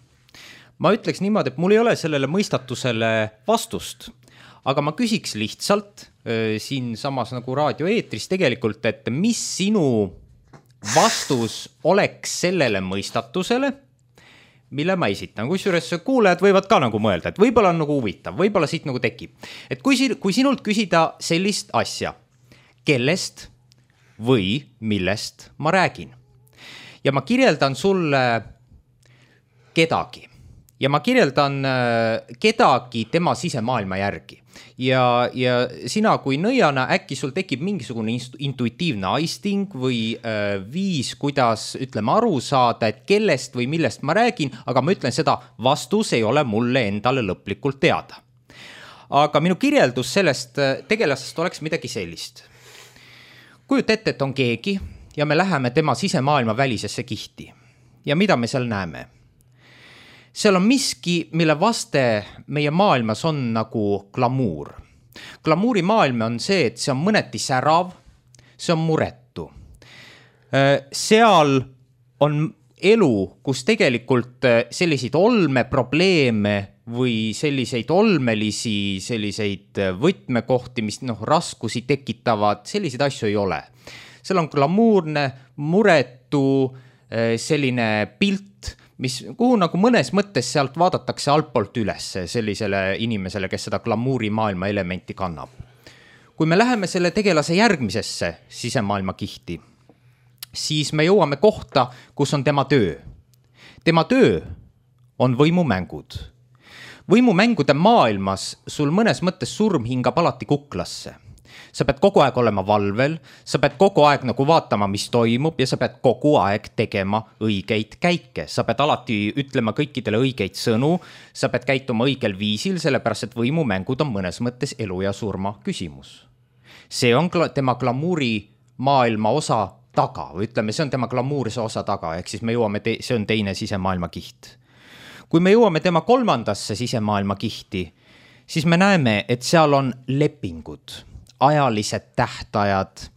Ma ütleks niimoodi, et mul ei ole sellele mõistatusele vastust, aga ma küsiks lihtsalt siin samas nagu raadioeetris tegelikult, et mis sinu vastus oleks sellele mõistatusele, mille ma esitan. Kusjuures kuulajad võivad ka nagu mõelda, et võib-olla on nagu huvitav, võib-olla siit nagu tekib. Et kui sinult küsida sellist asja, kellest või millest ma räägin, ja ma kirjeldan sulle kedagi, ja ma kirjeldan kedagi tema sisemaailma järgi. Ja sina kui nõiana äkki sul tekib mingisugune intuitiivne aisting või viis, kuidas ütleme aru saada, et kellest või millest ma räägin, aga ma ütlen seda, vastus ei ole mulle endale lõplikult teada. Aga minu kirjeldus sellest tegelasest oleks midagi sellist. Kujuta ette, et on keegi ja me läheme tema sisemaailma välisesse kihti. Ja mida me seal näeme? Seal on miski, mille vaste meie maailmas on nagu glamuur. Glamuuri maailm on see, et see on mõneti särav, see on muretu. Seal on elu, kus tegelikult selliseid olmeprobleeme või selliseid olmelisi, selliseid võtmekohti, mis raskusi tekitavad, selliseid asju ei ole. Seal on glamuurne, muretu, selline pilt, kuhu nagu mõnes mõttes sealt vaadatakse altpoolt üles sellisele inimesele, kes seda glamuuri maailma elementi kannab. kui me läheme selle tegelase järgmisesse sisemaailma kihti, siis me jõuame kohta, kus on tema töö. Tema töö on võimumängud. Võimumängude maailmas sul mõnes mõttes surm hingab alati kuklasse. Sa pead kogu aeg olema valvel, sa pead kogu aeg nagu vaatama, mis toimub ja sa pead kogu aeg tegema õigeid käike. Sa pead alati ütlema kõikidele õigeid sõnu, sa pead käituma õigel viisil, sellepärast et võimumängud on mõnes mõttes elu ja surma küsimus. See on tema glamuuri maailma osa taga, või ütleme, see on tema glamuurise osa taga, ehk siis me jõuame, see on teine sisemaailma kiht. Kui me jõuame tema kolmandasse sisemaailma kihti, siis me näeme, et seal on lepingud, ajalised tähtajad,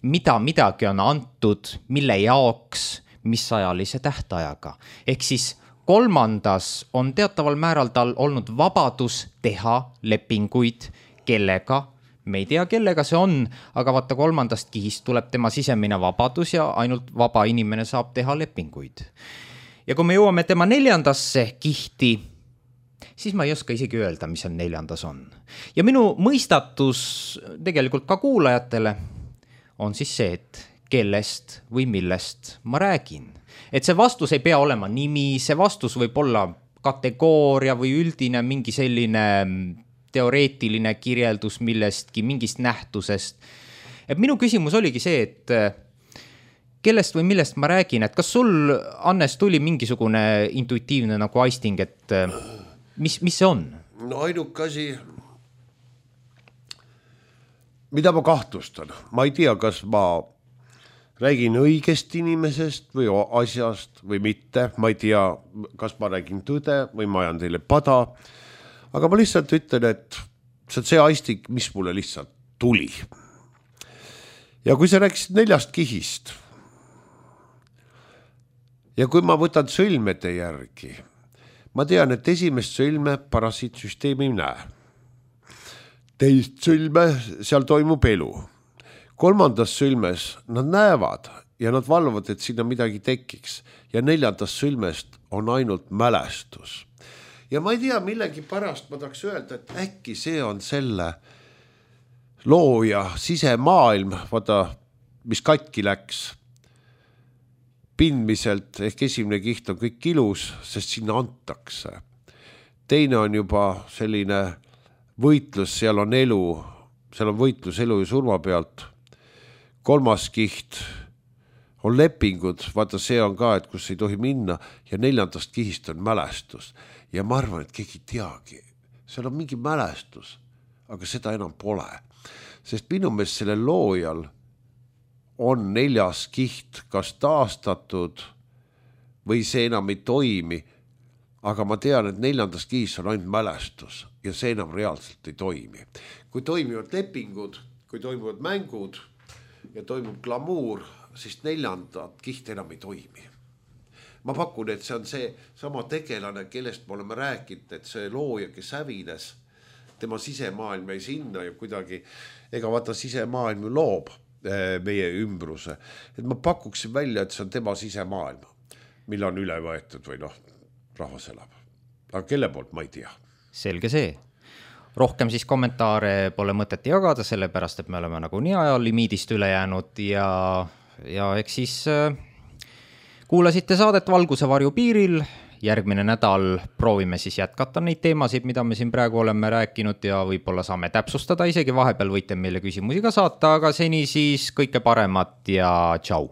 mida midagi on antud, mille jaoks, mis ajalise tähtajaga. Ehk siis kolmandas on teataval määral tal olnud vabadus teha lepinguid, kellega, me ei tea, kellega see on, aga vaata kolmandast kihist tuleb tema sisemine vabadus ja ainult vaba inimene saab teha lepinguid. Ja kui me jõuame tema neljandasse kihti, siis ma ei oska isegi öelda, mis on neljandas on. Ja minu mõistatus tegelikult ka kuulajatele on siis see, et kellest või millest ma räägin. Et see vastus ei pea olema nimi, see vastus võib olla kategooria või üldine mingi selline teoreetiline kirjeldus millestki, mingist nähtusest. Et minu küsimus oligi see, et kellest või millest ma räägin, et kas sul, Hannes, tuli mingisugune intuitiivne nagu aisting, et mis see on? No ainuke asi, mida ma kahtlustan, ma ei tea, kas ma räägin õigest inimesest või asjast või mitte, ma ei tea, kas ma räägin tõde või ma ajan teile pada, aga ma lihtsalt ütlen, et see on see aisting, mis mulle lihtsalt tuli. Ja kui sa rääkisid 4 kihist ja kui ma võtan sõlmede järgi, ma tean, et esimest sõlme parasiitsüsteem ei näe. Teist sõlme, seal toimub elu. Kolmandas sõlmes nad näevad ja nad valvavad, et sinna midagi tekiks. Ja 4. sõlmest on ainult mälestus. Ja ma ei tea, millegi pärast ma tahaks öelda, et äkki see on selle looja sisemaailm, vaata, mis katki läks. Pindmiselt ehk esimene kiht on kõik ilus, sest sinna antakse. Teine on juba selline võitlus, seal on elu, seal on võitlus elu ja surma pealt. 3. kiht on lepingud, vaata see on ka, et kus ei tohi minna ja 4. kihist on mälestus. Ja ma arvan, et keegi teagi, seal on mingi mälestus, aga seda enam pole. Sest minu meelest selle loojal on 4. kiht kas taastatud või see enam ei toimi, aga ma tean, et 4. kihis on ainult mälestus ja see enam reaalselt ei toimi. Kui toimivad lepingud, kui toimuvad mängud ja toimub glamuur, siis 4. kiht enam ei toimi. Ma pakun, et see on see sama tegelane, kellest me oleme rääkinud, et see looja, kes hävines, tema sisemaailm ei sinna ja kuidagi, ega vaata sisemaailm loob meie ümbruse. Et ma pakuksin välja, et see on tema sisemaailm, mille on üle võetud või rahvas elab. Aga kelle poolt ma ei tea. Selge see. Rohkem siis kommentaare pole mõtet jagada, sellepärast, et me oleme nagu nii ajalimiidist üle jäänud ja eks siis kuulasite saadet Valguse varju piiril. Järgmine nädal proovime siis jätkata neid teemasid, mida me siin praegu oleme rääkinud ja võib-olla saame täpsustada, isegi vahepeal võite meile küsimusi ka saata, aga seni siis kõike paremat ja tšau!